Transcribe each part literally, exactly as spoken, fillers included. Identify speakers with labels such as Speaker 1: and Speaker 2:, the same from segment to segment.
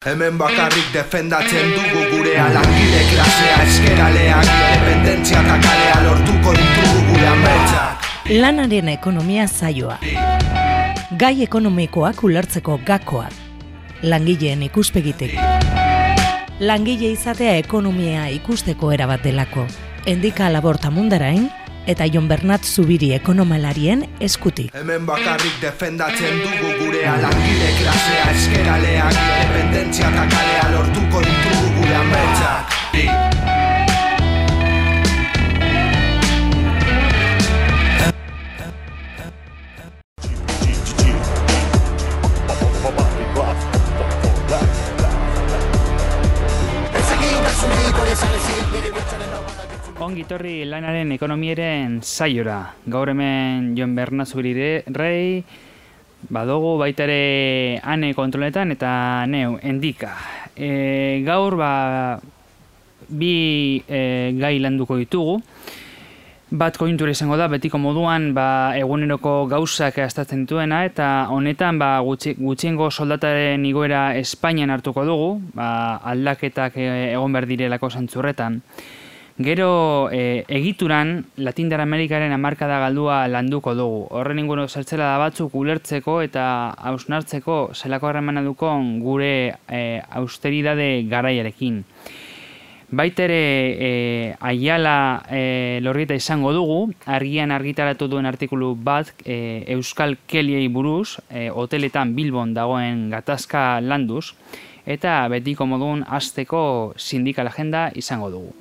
Speaker 1: Hemen bakarrik defendatzen dugu gurea, langile klasea, eskeraleak, independentzia eta kalea lortuko ditugu gure ametsak.
Speaker 2: Lanaren ekonomia saioa. Gai ekonomikoak ulertzeko gakoak. Langileen ikuspegitik. Langile izatea ekonomia ikusteko erabat delako. Endika Laborta Mundarain eta Jon Bernat Zubiri ekonomalarien eskutik.
Speaker 1: Hemen bakarrik defendatzen dugu gurea, langile klasea, eskeraleak, independentzia eta kalea lortuko ditugu gure ametsak.
Speaker 3: Ongi etorri lanaren ekonomiaren saiora. Gaur hemen Jon Bernat Zubiri rei, badogu baita ere ane kontroletan eta neu, endika. E, gaur ba, bi e, gai landuko ditugu. Bat kointura izango da, betiko moduan ba, eguneroko gauzak aztertzen dituena, eta honetan ba, gutxi, gutxiengo soldataren igoera Espainian hartuko dugu, ba, aldaketak egon behar direlako zantzurretan. Gero e, egituran Latindar Amerikaren hamarkada galdua landuko dugu. Horren inguru zertzela da batzuk ulertzeko eta hausnartzeko zelako harremana dukon gure e, austeridade garaiarekin. Baitere e, Aiala e, Lorrieta izango dugu, argian argitaratu duen artikulu bat e, Euskal Keliei buruz, e, hoteletan Bilbon dagoen gatazka landuz, eta betiko modun hasteko sindikal agenda izango dugu.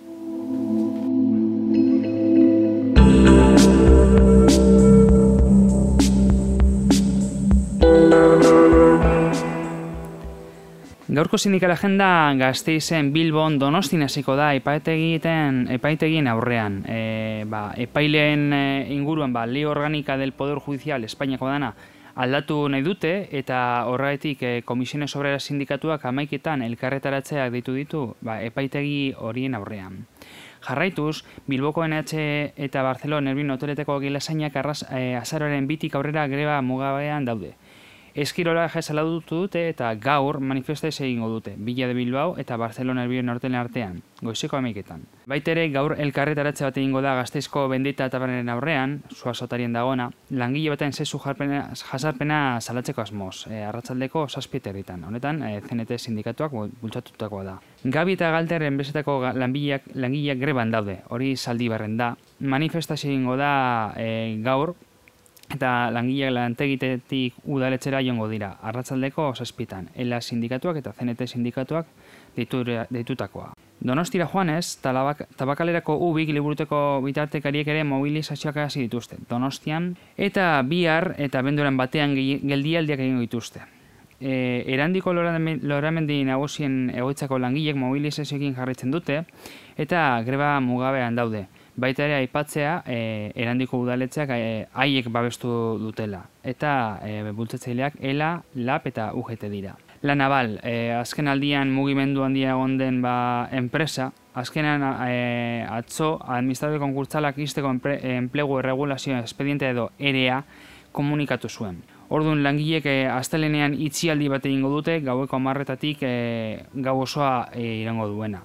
Speaker 3: Gaurko sindikal agenda Gasteizen, Bilbon, Donostin hasiko da epaitegien epaitegien aurrean. E, ba, epaileen inguruan ba, Ley Orgánica del Poder Judicial Espainiako dana aldatu nahi dute eta horregatik e, Komisiones Obreras sindikatuak hamaiketan elkarretaratzeak deitu ditu ba, epaitegi horien aurrean. Jarraituz, Bilboko N H eta Barcelona Erbin hoteleteko gilasainak e, azaroaren bitik aurrera greba mugabean daude. Eskirola salatu dute eta gaur manifestazio egingo dute, Villa de Bilbao eta Barcelona Erbin hotelen artean, goizeko hamaiketan. Baitere gaur elkarretaratze bat egingo da Gasteizko Bendita tabernaren aurrean, Zuazotarien dagoena, langile baten zezu jasarpena salatzeko asmoz, e, arratsaldeko zazpieterritan. Honetan, e, C N T sindikatuak bultzatutakoa da. Gabi eta Galder enbesetako langileak, langileak greban daude, hori Zaldibarren da. Manifestazio egingo da e, gaur, eta langileak lantegitetik udaletxera joango dira, arratsaldeko zazpitan, Ela sindikatuak eta C N T sindikatuak deitutakoa. Donostira joanez, Tabakalerako ubik liburuteko bitartekariek ere mobilizazioak hasi dituzte, Donostian, eta bihar eta abenduaren batean geldialdiak egingo dituzte. E, erandiko loramendi nagusien egoitzako langilek mobilizazioekin jarraitzen dute, eta greba mugabean daude. Baita ere aipatzea e, erandiko udaletxeak e, haiek babestu dutela. Eta e, bultzatzaileak Ela, Lab eta U G T dira. La Naval, e, azken aldian mugimendu handia egon den ba, enpresa, azkenan e, atzo administratore konkurtsalak izteko enplegu erregulazio espediente edo E R E A komunikatu zuen. Orduan langilek e, astelenean itxialdi bat egingo dute, gaueko hamarretatik e, gau osoa e, irango duena.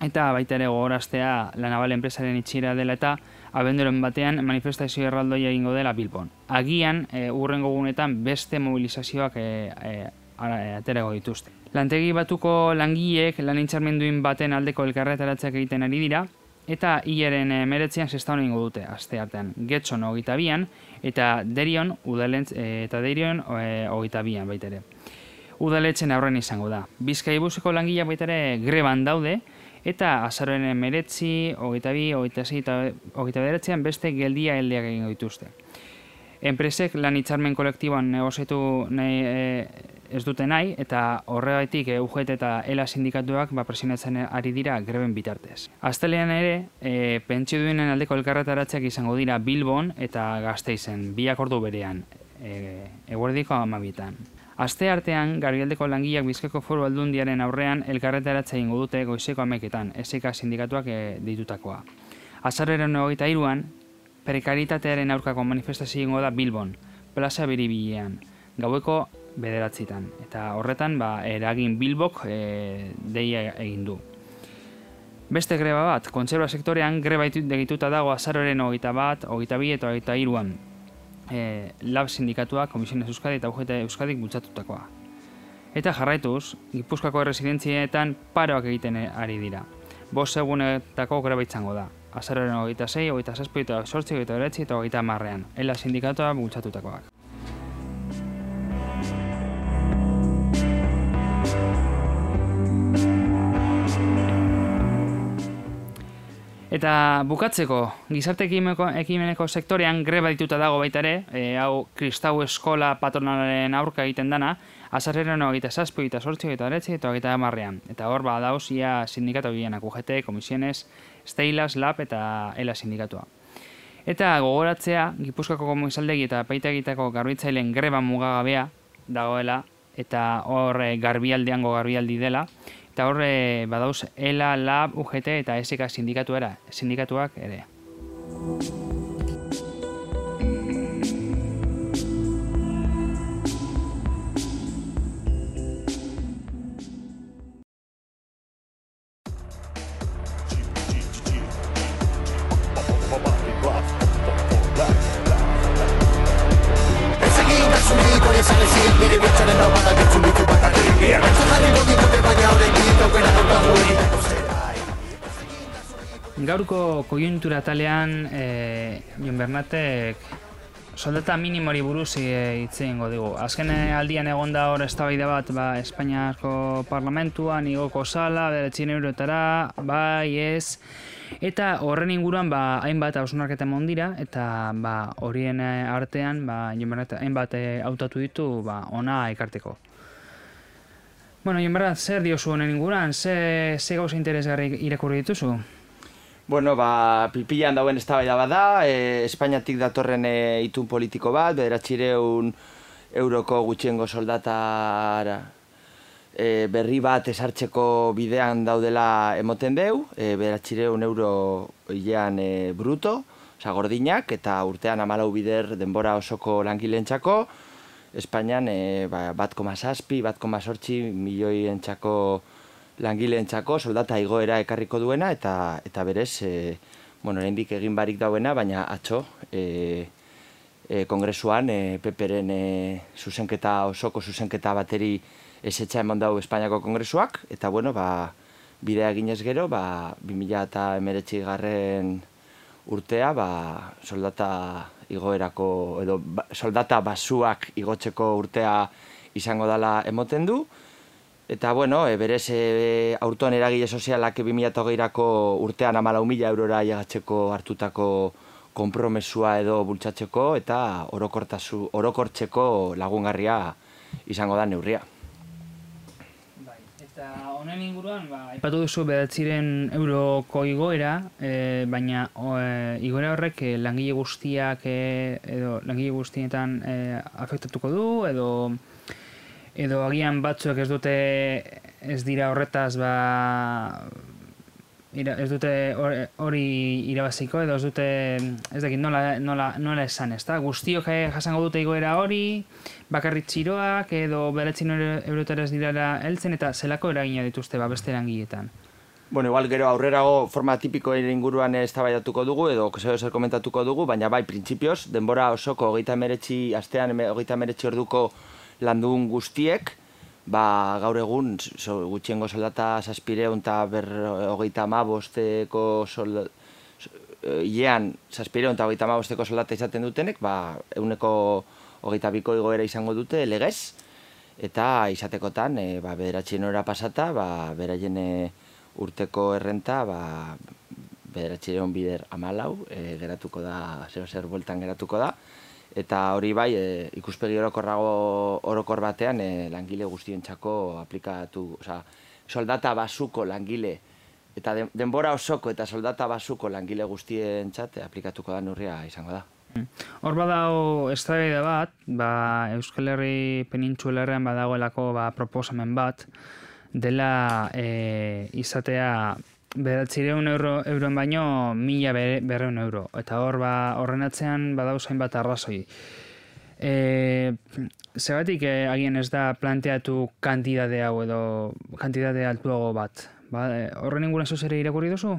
Speaker 3: Eta baita ere gogoraztea La Naval enpresaren itxiera dela eta abenduaren batean manifestazio erraldoia egingo dela Bilbon. Agian, e, urrengo gunetan beste mobilizazioak e, e, aterago dituzte. Lantegi batuko langileek lan hitzarmenduin baten aldeko elkarretaratzeak egiten ari dira, eta hilaren emeretzean sestaun egingo dute, aste artean. Getxon hogeita bian, eta Derion, udalentz, e, eta Derion e, hogeita bian baita ere. Udaletzen aurren izango da. Bizkaibuseko langileak baita ere greban daude, eta azaroaren emeretzi, hogeita bi, hogeita sei eta hogeita bederatzean beste geldia heldeak egingo dituzte. Enpresek lan hitzarmen kolektiboan negoziatu nahi e, ez dute nahi, eta horregatik e, U G T eta Ela sindikatuak ba, presionatzen ari dira greben bitartez. Astelean ere, e, pentsio duenen aldeko elkarretaratzeak izango dira Bilbon eta Gasteizen, biak ordu berean, e, eguerdiko hamabietan. Aste artean, Garbialdeko langileak Bizkaiko Foru Aldundiaren aurrean elkarretaratze egingo dute goizeko hamaiketan, S K sindikatuak e, ditutakoa. Azaroaren hogeita hiruan, prekaritatearen aurkako manifestazio egingo da Bilbon, plaza Biribilean. Gaueko bederatzitan. Eta horretan, ba, eragin Bilbok e, deia egin du. Beste greba bat, kontserba sektorean greba egituta dago azaroaren hogeita bat, hogeita bi eta hogeita hiruan e, Lab sindikatua, Komisiones Euskadi eta U G T Euskadik bultzatutakoa. Eta jarraituz, Gipuzkoako erresidentzietan paroak egiten ari dira. Bost egunetako greba izango da. Azaroaren hogeita sei, hogeita zazpi, hogeita zortzi, hogeita bederatzi eta hogeita hamarrean. Ela sindikatua bultzatutakoak. Eta bukatzeko, gizarte ekimeneko sektorean greba dituta dago baita ere, e, hau Kristau Eskola patronalaren aurka egiten dana, azarreren hogeita zazpi, hogeita zortzi, hogeita bederatzi eta hogeita hamarrean. Eta hor ba dauz ia sindikatu gehienak, U G T, Komisiones, Steilas, Lab eta Ela sindikatua. Eta gogoratzea, Gipuzkoako Komisaldegi eta Epaitegitako garbitzaileen greba mugagabea dagoela, eta hor garbialdeango garbialdi dela, eta hor badauz Ela, Lab, U G T eta S K sindikatuera, sindikatuak ere. Gaurko koiuntura talean, e, Jon Bernatek soldata minimori buruz hitz egingo digu. Azken aldian egon da hor eztabaida bat ba, Espainiako parlamentuan igoko zala, bederatzi eurotara, bai ez. Eta horren inguruan ba, hainbat hausnarketa eman dira, eta ba, horien artean ba, Jon Bernatek hainbat hautatu ditu ba, ona ekarteko. Bueno, Jon Bernatek, zer diozu honen inguruan? Ze, ze gauza interesgarri irakurri dituzu?
Speaker 4: Bueno, ba, pilpilan dauen eztabaida bada, e, Espainiatik datorren e, itun politiko bat, bederatzireun euroko gutxiengo soldatara e, berri bat esartzeko bidean daudela emoten deu, e, bederatzireun euro hilean e, bruto, oza, gordinak, eta urtean hamalau bider denbora osoko langileentzako, Espainian e, ba, bat koma zazpi, bat koma zortzi milioientzako langileentzako soldata igoera ekarriko duena, eta eta berez, e, bueno, oraindik egin barik dauena, baina atzo e, e, kongresuan e, Peperen e, zuzenketa osoko zuzenketa bateri ezetxa eman dau Espainiako kongresuak, eta bueno, ba, bidea eginez gero, ba, bi mila hemeretzi garren urtea, ba, soldata igoerako, edo ba, soldata basuak igotzeko urtea izango dela emoten du. Eta, bueno, e, berez e, aurton eragile sozialak bi mila hogeirako urtean hamalau mila eurora llegatzeko hartutako konpromesua edo bultzatzeko eta orokortasu, orokortzeko lagungarria izango da neurria.
Speaker 3: Bai, eta honen inguruan, ba, aipatu duzu bederatziren euroko igoera, e, baina o, e, igoera horrek e, langile guztiak e, edo langile guztietan e, afektatuko du, edo edo agian batzuek ez dute ez dira horretaz ba ira, ez dute hori irabaziko edo ez dute ez dakit nola, nola, nola esan, ezta? Guztiok jasango dute igoera hori, bakarrik txiroak edo bederatzi eurotara ez direla heltzen eta zelako eragina dituzte ba beste langileetan.
Speaker 4: Bueno, igual gero aurrerago forma tipikoen inguruan eztabaidatuko dugu edo zer zer komentatuko dugu, baina bai printzipioz denbora osoko hogeita hemeretzi astean hogeita hemeretzi orduko landun guztiek, ba, gaur egun so, gutxiengo soldata zazpireun eta hogeita hamabosteko solda, hilean zazpireun eta hogeita hamabosteko soldata izaten dutenek, ba, euneko hogeita biko igoera izango dute legez, eta izatekotan e, ba, bederatzien ora pasata, ba, beraien e, urteko errenta ba, bederatzireun bider hamalau, e, geratuko da, zer zer bueltan geratuko da, eta hori bai, e, ikuspegi orokorrago orokor batean e, langile guztientzako aplikatu, oza, soldata basuko langile, eta de, denbora osoko eta soldata basuko langile guztientzat aplikatuko da neurria izango da.
Speaker 3: Hor badago eztabaida bat, ba, Euskal Herri penintsularrean badagoelako ba, proposamen bat, dela e, izatea bederatzireun euro, euroen baino mila berreun euro. Eta hor ba, horren atzean badauz hainbat arrazoi. E, Zergatik e, agian ez da planteatu kantitate hau edo kantitate altuago bat? Ba, e, horren inguruan zoz ere irakurri duzu?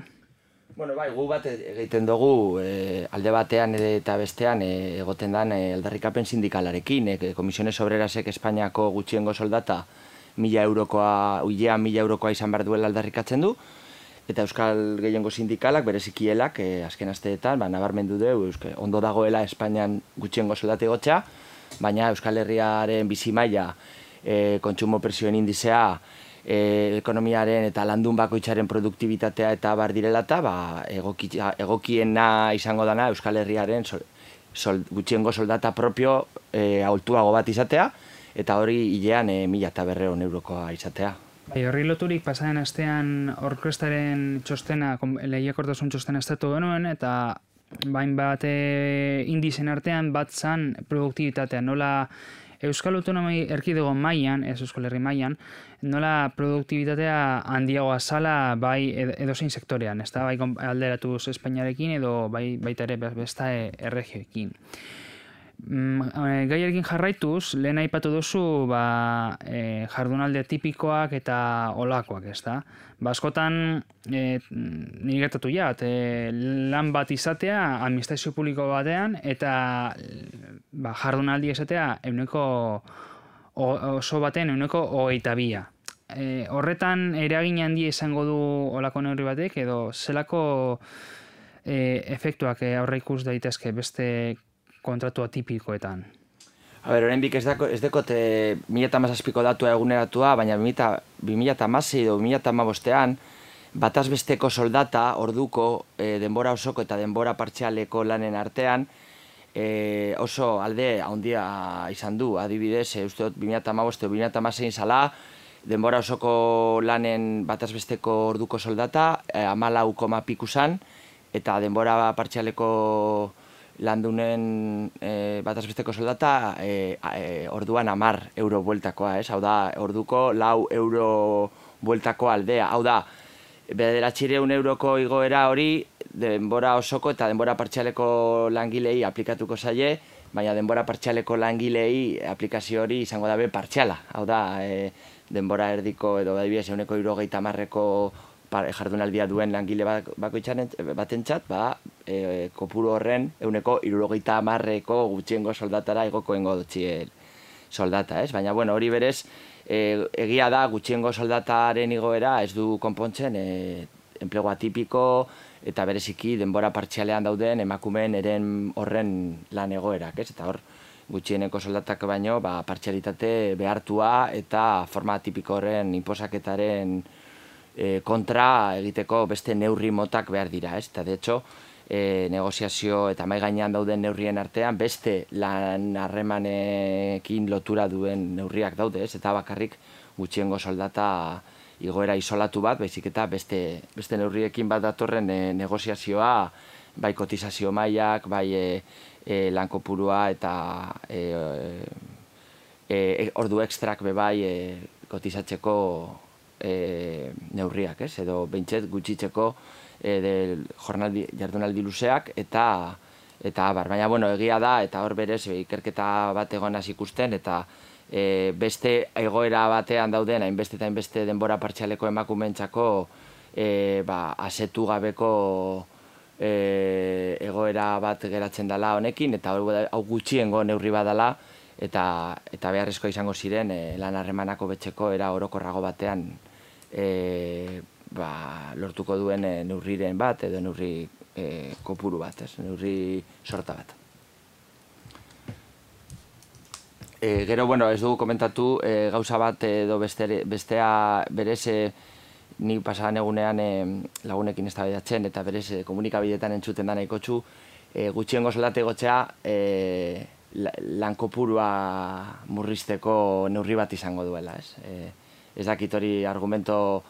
Speaker 4: Bueno, bai, gu bat egiten dugu e, alde batean eta bestean e, egoten dan e, aldarrikapen sindikalarekin. E, Komisiones Obrerasek Espainiako gutxiengo soldata mila eurokoa, uilean mila eurokoa izan behar duela aldarrikatzen du. Eta Euskal Gehiengo Sindikalak, berezikielak, e, azken asteetan, ba, nabarmendu du, euske, ondo dagoela Espainian gutxiengo soldate gotxa, baina Euskal Herriaren bizi maila, e, kontsumo presioen indizea, e, ekonomiaren eta landun bakoitzaren produktibitatea eta bar direla eta ba, egoki, egokiena izango dana Euskal Herriaren sol, sol, gutxiengo soldata propio e, aholtuago bat izatea, eta hori hilean e, mila eta berreun eurokoa izatea.
Speaker 3: Bai, horri loturik pasaren astean orkrestaren txostena, lehiakortasun txostena estatu genuen, eta bain bat e, indizen artean bat zan produktibitatea. Nola Euskal Autonomi Erkidego mailan, ez Euskal Herri mailan, nola produktibitatea handiagoa zala bai edozein sektorean, ez da, bai alderatuz Espainiarekin edo bai, baita ere besta erregioekin. Gaiarekin jarraituz, lehen aipatu duzu ba, e, jardunalde tipikoak eta olakoak, ez da? Ba, askotan, e, niri gertatu jat, e, lan bat izatea administrazio publiko batean eta ba, jardunaldi izatea euneko oso baten euneko hogeita bia. E, horretan eragin handia izango du olako neurri batek edo zelako e, efektuak aurre ikus daitezke beste kontratu atipikoetan.
Speaker 4: A ber, oraindik ez dako ez dekote mila eta hamazazpiko datua eguneratua, baina bi mila hamasei edo bi mila hamabostean bataz besteko soldata orduko e, denbora osoko eta denbora partzialeko lanen artean e, oso alde handia izan du. Adibidez, e, uste dut bi mila hamabost edo bi mila hamasei zala denbora osoko lanen bataz besteko orduko soldata e, hamalau koma piku zan, eta denbora partzialeko landunen e, batazbesteko soldata e, e, orduan hamar euro bueltakoa, ez? Hau da, orduko lau euro bueltako aldea. Hau da, bederatziehun euroko igoera hori denbora osoko eta denbora partzialeko langilei aplikatuko zaie, baina denbora partzialeko langilei aplikazio hori izango dabe partziala. Hau da, e, denbora erdiko edo adibidez ehuneko hirurogeita hamarreko jardunaldia duen langile batentzat, ba, e, kopuru horren ehuneko hirurogeita hamarreko gutxiengo soldatara egokoengo dutxie soldata, ez? Baina, bueno, hori berez, e, egia da gutxiengo soldataren igoera ez du konpontzen e, enplegu atipiko eta bereziki denbora partzialean dauden emakumeen eren horren lan egoerak, ez? Eta hor, gutxieneko soldatak baino, ba, partzialitate behartua eta forma atipiko horren inposaketaren E, kontra egiteko beste neurri motak behar dira, ez? Eta, de hecho, e, negoziazio eta mai gainean dauden neurrien artean beste lan harremanekin lotura duen neurriak daude, ez? Eta bakarrik gutxiengo soldata igoera isolatu bat, baizik eta beste, beste neurriekin bat datorren e, negoziazioa, bai kotizazio mailak, bai e, e, lankopurua eta e, e, e, ordu ekstrak bebai e, kotizatzeko E, neurriak, ez? Edo behintzet gutxitzeko e, del jornaldi, jardunaldi luzeak eta eta abar. Baina, bueno, egia da, eta hor berez ikerketa bat egonaz ikusten, eta e, beste egoera batean dauden, hainbeste eta hainbeste denbora partzialeko emakumentzako e, ba, asetu gabeko e, egoera bat geratzen dela honekin, eta hau gutxiengo neurri bat dela, eta, eta beharrezko izango ziren e, lan harremanako betxeko era orokorrago batean E, ba, lortuko duen e, neurriren bat edo neurri e, kopuru bat, ez? Neurri sorta bat. E, gero, bueno, ez dugu komentatu e, gauza bat edo beste, bestea berez e, ni pasadan egunean e, lagunekin eztabaidatzen eta berez e, komunikabideetan entzuten da nahikotxu e, gutxiengo soldate gotzea e, lan kopurua murrizteko neurri bat izango duela, ez? E, Ez dakit hori argumento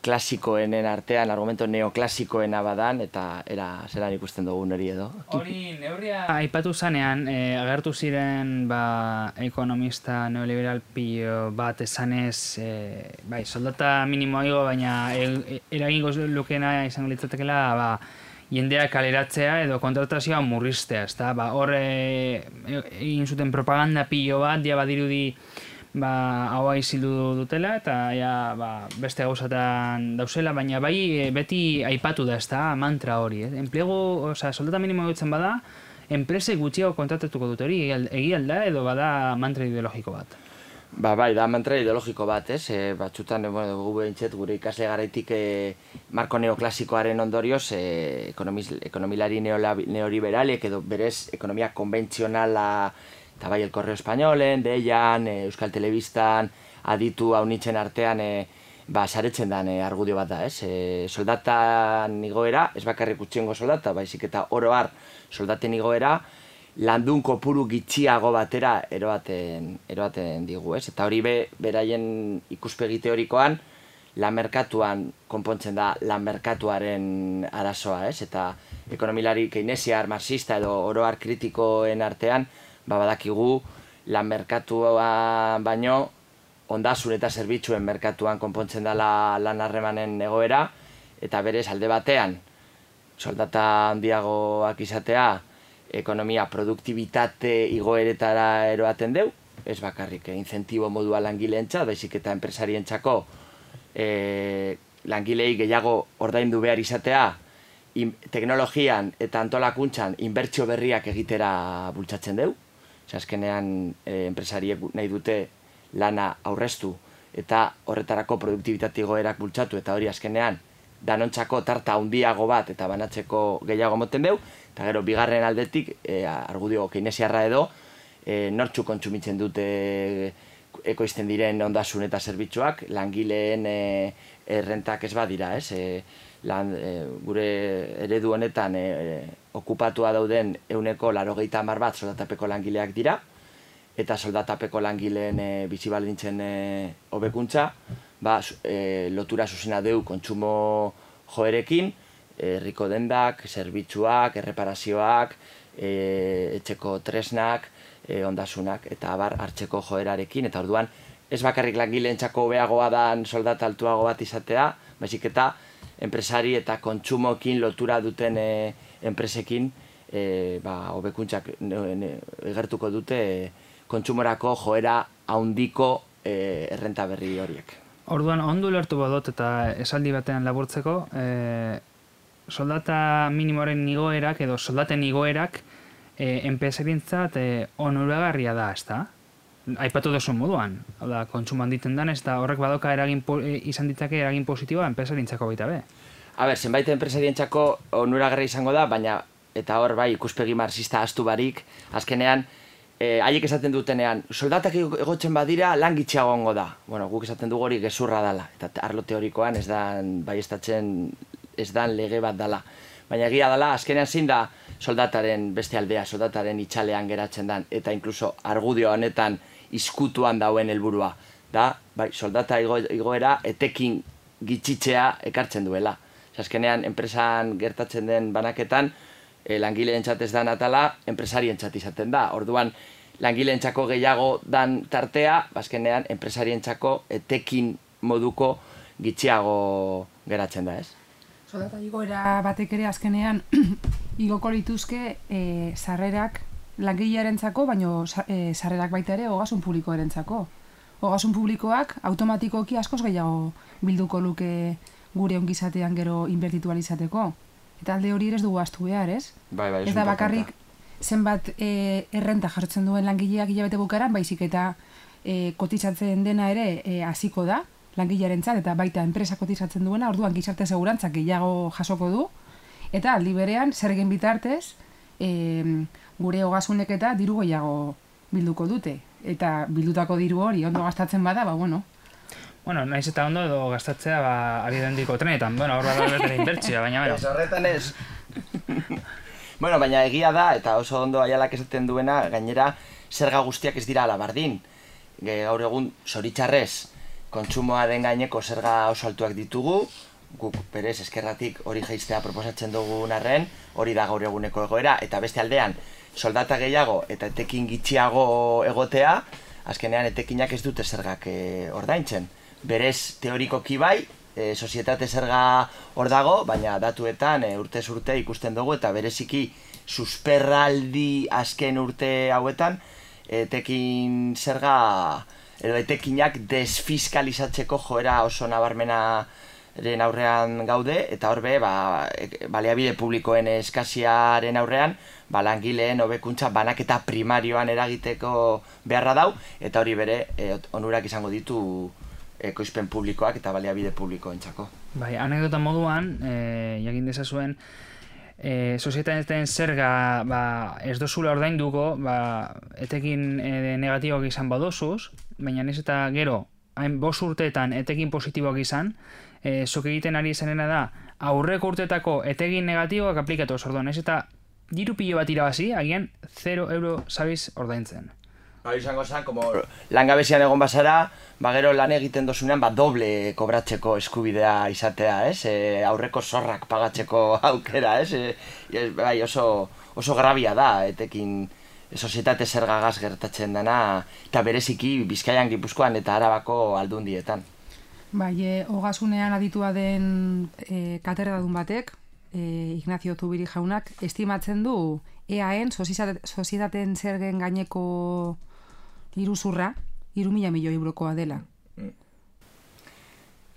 Speaker 4: klasikoenen artean, argumento neoklasikoena badan, eta era zelan ikusten dugun hori edo.
Speaker 3: Hori neurria aipatu zanean, e, agertu ziren ba, ekonomista neoliberal pilo bat esanez, e, bai, soldata minimoa igo, baina e, eragingo lukeena izango litzatekela, ba, jendea kaleratzea edo kontratazioa murriztea, ezta? Ba, hor egin zuten propaganda pilo bat, ja badirudi ba, haua izildu dutela, eta ja, ba, beste gauzatan dauzela, baina bai beti aipatu da, ezta, mantra hori. Eh? Enplegu, oza, soldata minimo dutzen bada, enpresek gutxiago kontratatuko dut hori, egia alda edo bada mantra ideologiko bat?
Speaker 4: Ba, bai, da mantra ideologiko bat, ez? E, batxutan, e, bueno, gu behintzet, gure ikasle garaitik e, marko neoklasikoaren ondorioz, e, ekonomilari neoliberalek edo berez ekonomia konbentzionala eta bai El Correo Españolen, Deian, e, Euskal Telebistan, aditu haunitzen artean, e, ba, saretzen den e, argudio bat da, ez? E, soldatan igoera, ez bakarrik utxiengo soldata, baizik eta oro har soldaten igoera, landun kopuru gitxiago batera eroaten, eroaten digu, ez? Eta hori be, beraien ikuspegi teorikoan, lan merkatuan konpontzen da lan merkatuaren arazoa, ez? Eta ekonomilari keynesiar, marxista edo oroar kritikoen artean, ba badakigu lan merkatua baino ondasun eta zerbitzuen merkatuan konpontzen dela lan harremanen egoera, eta berez alde batean, soldata handiagoak izatea, ekonomia produktibitate igoeretara eroaten deu, ez bakarrik eh, incentibo modua langileentzat, baizik eta enpresarientzako eh, langilei gehiago ordaindu behar izatea, in, teknologian eta antolakuntzan inbertsio berriak egitera bultzatzen deu. Azkenean eh, enpresariek nahi dute lana aurreztu eta horretarako produktibitate igoerak bultzatu, eta hori azkenean danontzako tarta handiago bat eta banatzeko gehiago moten deu. Eta gero, bigarren aldetik, e, argudio keynesiarra edo, e, nortxu kontsumitzen dute ekoizten diren ondasun eta zerbitzuak, langileen e, errentak ez badira, ez? E, lan, e, gure eredu honetan e, okupatua dauden euneko laurogeita hamar bat soldatapeko langileak dira, eta soldatapeko langileen e, bizi baldintzen e, hobekuntza, ba, e, lotura zuzena deu kontsumo joerekin, herriko dendak, zerbitzuak, erreparazioak, e, etxeko tresnak, e, ondasunak, eta abar hartzeko joerarekin, eta orduan ez bakarrik langileentzako hobeagoa dan soldata altuago bat izatea, baizik eta enpresari eta kontsumokin lotura duten e, enpresekin e, ba, hobekuntzak egertuko dute e, kontsumorako joera handiko e, errenta berri horiek.
Speaker 3: Orduan, ondo lertu badot eta esaldi batean laburtzeko, e, soldata minimoaren igoerak edo soldaten igoerak e, enpresarientzat e, onuragarria da, ezta? Aipatu duzu moduan, da, kontsumo handiten dan, ez da horrek badoka eragin po, e, izan ditzake eragin positiboa enpresarientzako baita be.
Speaker 4: A ber, zenbait enpresarientzako onuragarria izango da, baina eta hor bai ikuspegi marxista astu barik, azkenean e, haiek esaten dutenean, soldatak egotzen badira lan gitxiago ongo da. Bueno, guk esaten dugu hori gezurra dala, eta arlo teorikoan ez da baiestatzen ez dan lege bat dala. Baina egia dela, azkenean zein da soldataren beste aldea, soldataren itxalean geratzen dan, eta inkluso argudio honetan izkutuan dauen helburua. Da, bai, soldata igo, igoera etekin gitxitzea ekartzen duela. Azkenean, enpresan gertatzen den banaketan, e, langileentzat ez dan atala, enpresarientzat izaten da. Orduan, langileentzako gehiago dan tartea, azkenean, enpresarientzako etekin moduko gitxiago geratzen da, ez?
Speaker 5: Soldata igoera batek ere azkenean igoko lituzke e, sarrerak langilearentzako, baino e, sarrerak baita ere ogasun publikoarentzako. Ogasun publikoak automatikoki askoz gehiago bilduko luke gure ongizatean gero inbertitu izateko. Eta alde hori ere ez dugu ahaztu behar, ez?
Speaker 4: Bai, bai,
Speaker 5: ez da bakarrik zenbat e, errenta jartzen duen langileak hilabete bukaeran, baizik eta e, kotizatzen dena ere e, hasiko da, langilearentzat eta baita enpresa kotizatzen duena, orduan gizarte segurantzak gehiago jasoko du, eta aldi berean zergen bitartez e, gure ogasunek eta diru gehiago bilduko dute. Eta bildutako diru hori ondo gastatzen bada, ba bueno.
Speaker 3: Bueno, naiz eta ondo edo gastatzea ba, abidendiko trenetan, bueno, hor bat betera inbertsioa, baina bueno.
Speaker 4: Ez horretan ez. Bueno, baina egia da, eta oso ondo aialak esaten duena, gainera zerga guztiak ez dira alabardin. Gaur egun, zoritxarrez, kontsumoaren gaineko zerga oso altuak ditugu, guk berez eskerratik hori jaistea proposatzen dugun arren, hori da gaur eguneko egoera, eta beste aldean, soldata gehiago eta etekin gitxiago egotea, azkenean etekinak ez dute zergak e, ordaintzen. Berez teorikoki bai, e, sozietate zerga hor dago, baina datuetan e, urtez urte ikusten dugu eta bereziki susperraldi azken urte hauetan etekin zerga edo etekinak desfiskalizatzeko joera oso nabarmenaren aurrean gaude eta horbe ba, baliabide publikoen eskasiaren aurrean ba, langileen hobekuntza banaketa primarioan eragiteko beharra dau eta hori bere e, onurak izango ditu ekoizpen publikoak eta baliabide publikoentzako.
Speaker 3: Bai, anekdota moduan, e, jakin dezazuen, e, sozietateen zerga ba, ez dozula ordainduko, ba, etekin e, negatiboak izan badozuz, baina ez eta gero, hain bost urteetan etekin positiboak izan, e, zok egiten ari izanena da, aurreko urteetako etekin negatiboak aplikatu orduan, ez eta diru pilo bat irabazi, agian zero euro zabiz ordaintzen.
Speaker 4: Hori izango zen, como langabezian egon bazara, ba gero lan egiten dozunean, ba doble kobratzeko eskubidea izatea, ez? E, aurreko zorrak pagatzeko aukera, ez? E, bai, oso, oso grabia da, etekin sozietate zergagaz gertatzen dena, eta bereziki Bizkaian, Gipuzkoan eta Arabako aldundietan.
Speaker 5: Bai, e, ogasunean aditua den e, katedradun batek, e, Ignacio Zubiri jaunak, estimatzen du E A N sozietateen zergen gaineko iruzurra, hiru mila milioi eurokoa dela.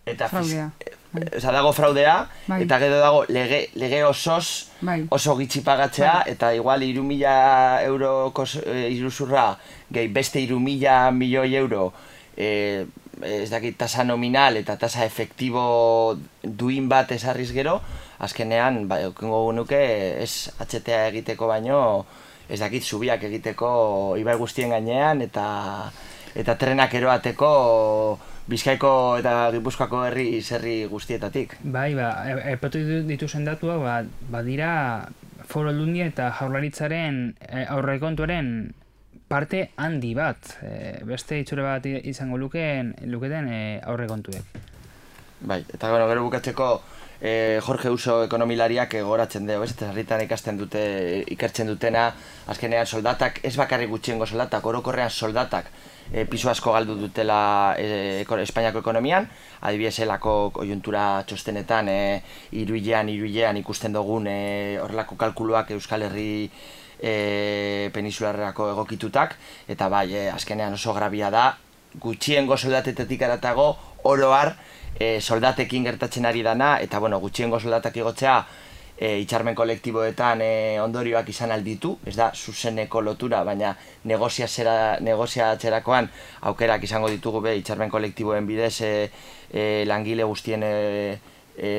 Speaker 4: Eta
Speaker 5: fraudea.
Speaker 4: Bai. Osa dago fraudea, bai. Eta gero dago lege, lege osoz
Speaker 5: bai.
Speaker 4: Oso gitxi pagatzea, bai. Eta igual hiru mila euroko iruzurra, gehi beste hiru mila milioi euro, e, ez dakit tasa nominal eta tasa efektibo duin bat esarriz gero, azkenean, bai, okengo nuke, ez H T A egiteko baino, ez dakit zubiak egiteko ibai guztien gainean, eta eta trenak eroateko Bizkaiko eta Gipuzkoako herri zerri guztietatik.
Speaker 3: Bai, ba, epatu dituzen datuak, ba, badira Foru Aldundia eta Jaurlaritzaren aurrekontuaren parte handi bat, e, beste itxure bat izango lukeen, luketen e, aurrekontuek.
Speaker 4: Bai, eta bueno, gero bukatzeko e, Jorge Uso ekonomilariak goratzen dugu, ez? Eta herritan ikasten dute, ikertzen dutena, azkenean soldatak, ez bakarrik gutxiengo soldatak, orokorrean soldatak e, pisu asko galdu dutela e, Espainiako ekonomian, adibidez elako konjuntura txostenetan e, iruilean, iruilean ikusten dugun e, horrelako kalkuluak Euskal Herri e, peninsularrako egokitutak, eta bai, e, azkenean oso grabia da, gutxiengo soldatetetik aratago, oroar, e, soldatekin gertatzen ari dana, eta bueno, gutxiengo soldatak igotzea, e, itxarmen kolektiboetan e, ondorioak izan alditu, ez da zuzeneko lotura, baina negoziatzerakoan aukerak izango ditugu be itxarmen kolektiboen bidez e, e, langile guztien e, e,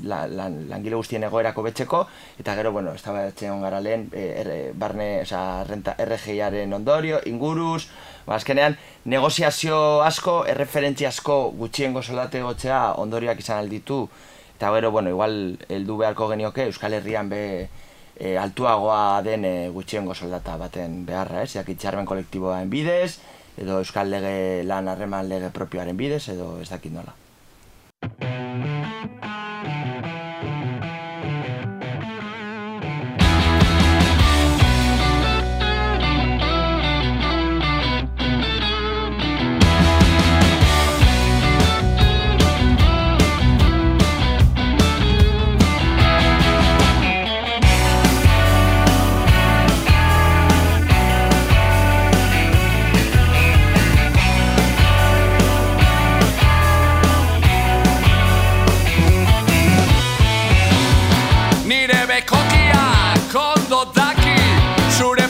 Speaker 4: la, la, langile guztien egoerako betzeko, eta gero, bueno, ez da batzen ongara lehen, e, er, barne, oza, renta, R G I-aren ondorio, inguruz, ba, azkenean, negoziazio asko, erreferentzia asko gutxiengo soldate gotzea ondorioak izan alditu, eta gero, bueno, igual, heldu beharko genioke, Euskal Herrian be e, altuagoa den e, gutxiengo soldata baten beharra, ez? Jak itxarmen kolektiboaren bidez, edo Euskal Lege lan harreman lege propioaren bidez, edo ez dakit nola.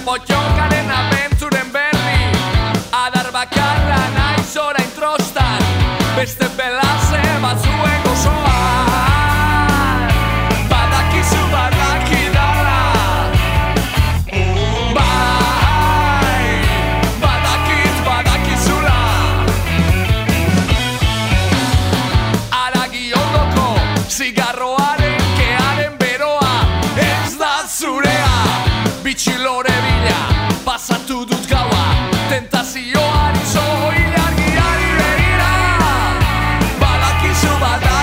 Speaker 6: Potxokaren abentzuren berri adar bakarra naiz orain trostan beste pelaze batzuen gozoan badakizu badakidala bai badakit badakizula aragi ondoko zigarroaren kearen beroa ez da zurea bitxilore pasatu dut gaua, tentazioari zoilargiari begira badakizu bada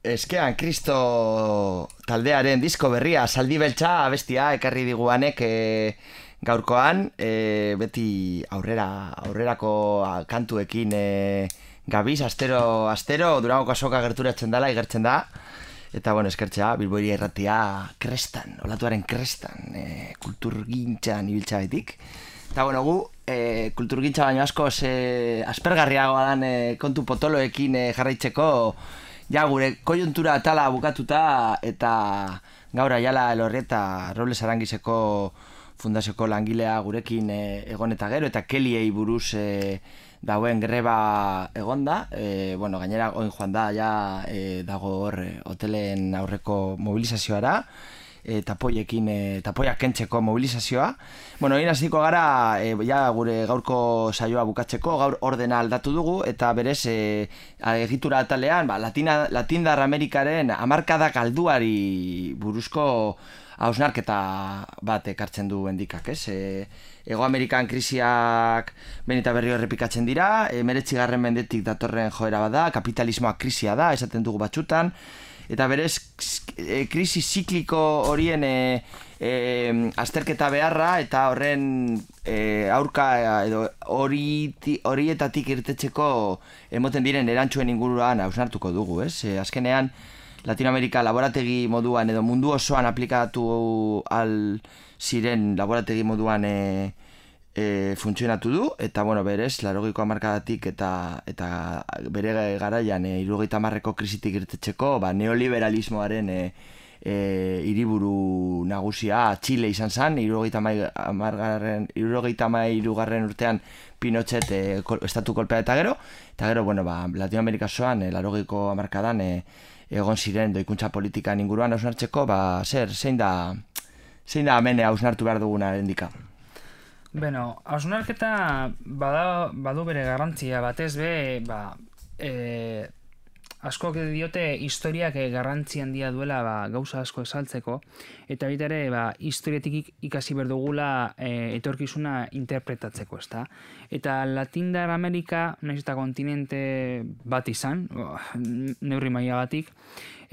Speaker 4: eskean Kristo taldearen disko berria, Zaldi Beltza abestia ekarri diguanek e, gaurkoan, e, beti aurrera, aurrerako kantuekin e, gabiz, astero, astero, Durangoko azoka gerturatzen dela, igertzen da. Eta, bueno, eskertzea, Bilboiri erratia krestan, olatuaren krestan, e, kulturgintzan ibiltza betik. Eta, bueno, gu, e, kulturgintza baino asko e, aspergarriagoa dan e, kontu potoloekin e, jarraitzeko, ja, gure koiuntura atala bukatuta eta gaur aiala Elorrieta Robles Arangizeko fundazioko langilea gurekin e, egon eta gero, eta Keliei buruz e, dauen greba egonda, e, bueno, gainera oin joan da, ja e, dago hor e, hotelen aurreko mobilizazioara, e, tapoiekin, e, tapoiak kentzeko mobilizazioa. Bueno, egin hasiko gara, e, ja gure gaurko saioa bukatzeko, gaur ordena aldatu dugu, eta berez, e, egitura atalean, ba, Latina, Latindar Amerikaren hamarkada galduari buruzko hausnarketa bat ekartzen du endikak, ez? E, Ego Amerikan krisiak behin eta berriro errepikatzen dira, emeretzigarren mendetik datorren joera bada, kapitalismoa krisia da, esaten dugu batzutan, eta berez e, krisi zikliko horien e, e, azterketa beharra eta horren e, aurka edo hori, horietatik irtetzeko emoten diren erantzuen inguruan hausnartuko dugu, ez? E, azkenean Latinoamerika laborategi moduan edo mundu osoan aplikatu al ziren laborategi moduan e, e, funtzionatu du, eta bueno, berez, laurogeiko hamarkadatik eta, eta bere garaian e, hirurogeita hamarreko krisitik irtetzeko, ba, neoliberalismoaren e, e, hiriburu nagusia Txile izan zen, hirurogeita hamairugarren urtean Pinochet e, estatu kolpea eta gero, eta gero, bueno, ba, Latinoamerika osoan, e, laurogeiko hamarkadan, e, egon ziren doikuntza politikan inguruan hausnartzeko, ba, zer, zein da, zein da hemen hausnartu behar duguna endika?
Speaker 3: Beno, hausnarketa bada, badu bere garrantzia, batez be, ba, e, askok diote historiak garrantzi handia duela ba, gauza asko esaltzeko, eta baita ere ba, historiatik ikasi behar dugula e, etorkizuna interpretatzeko, ezta? Eta Latindar Amerika, nahiz eta kontinente bat izan, oh, neurri mailagatik,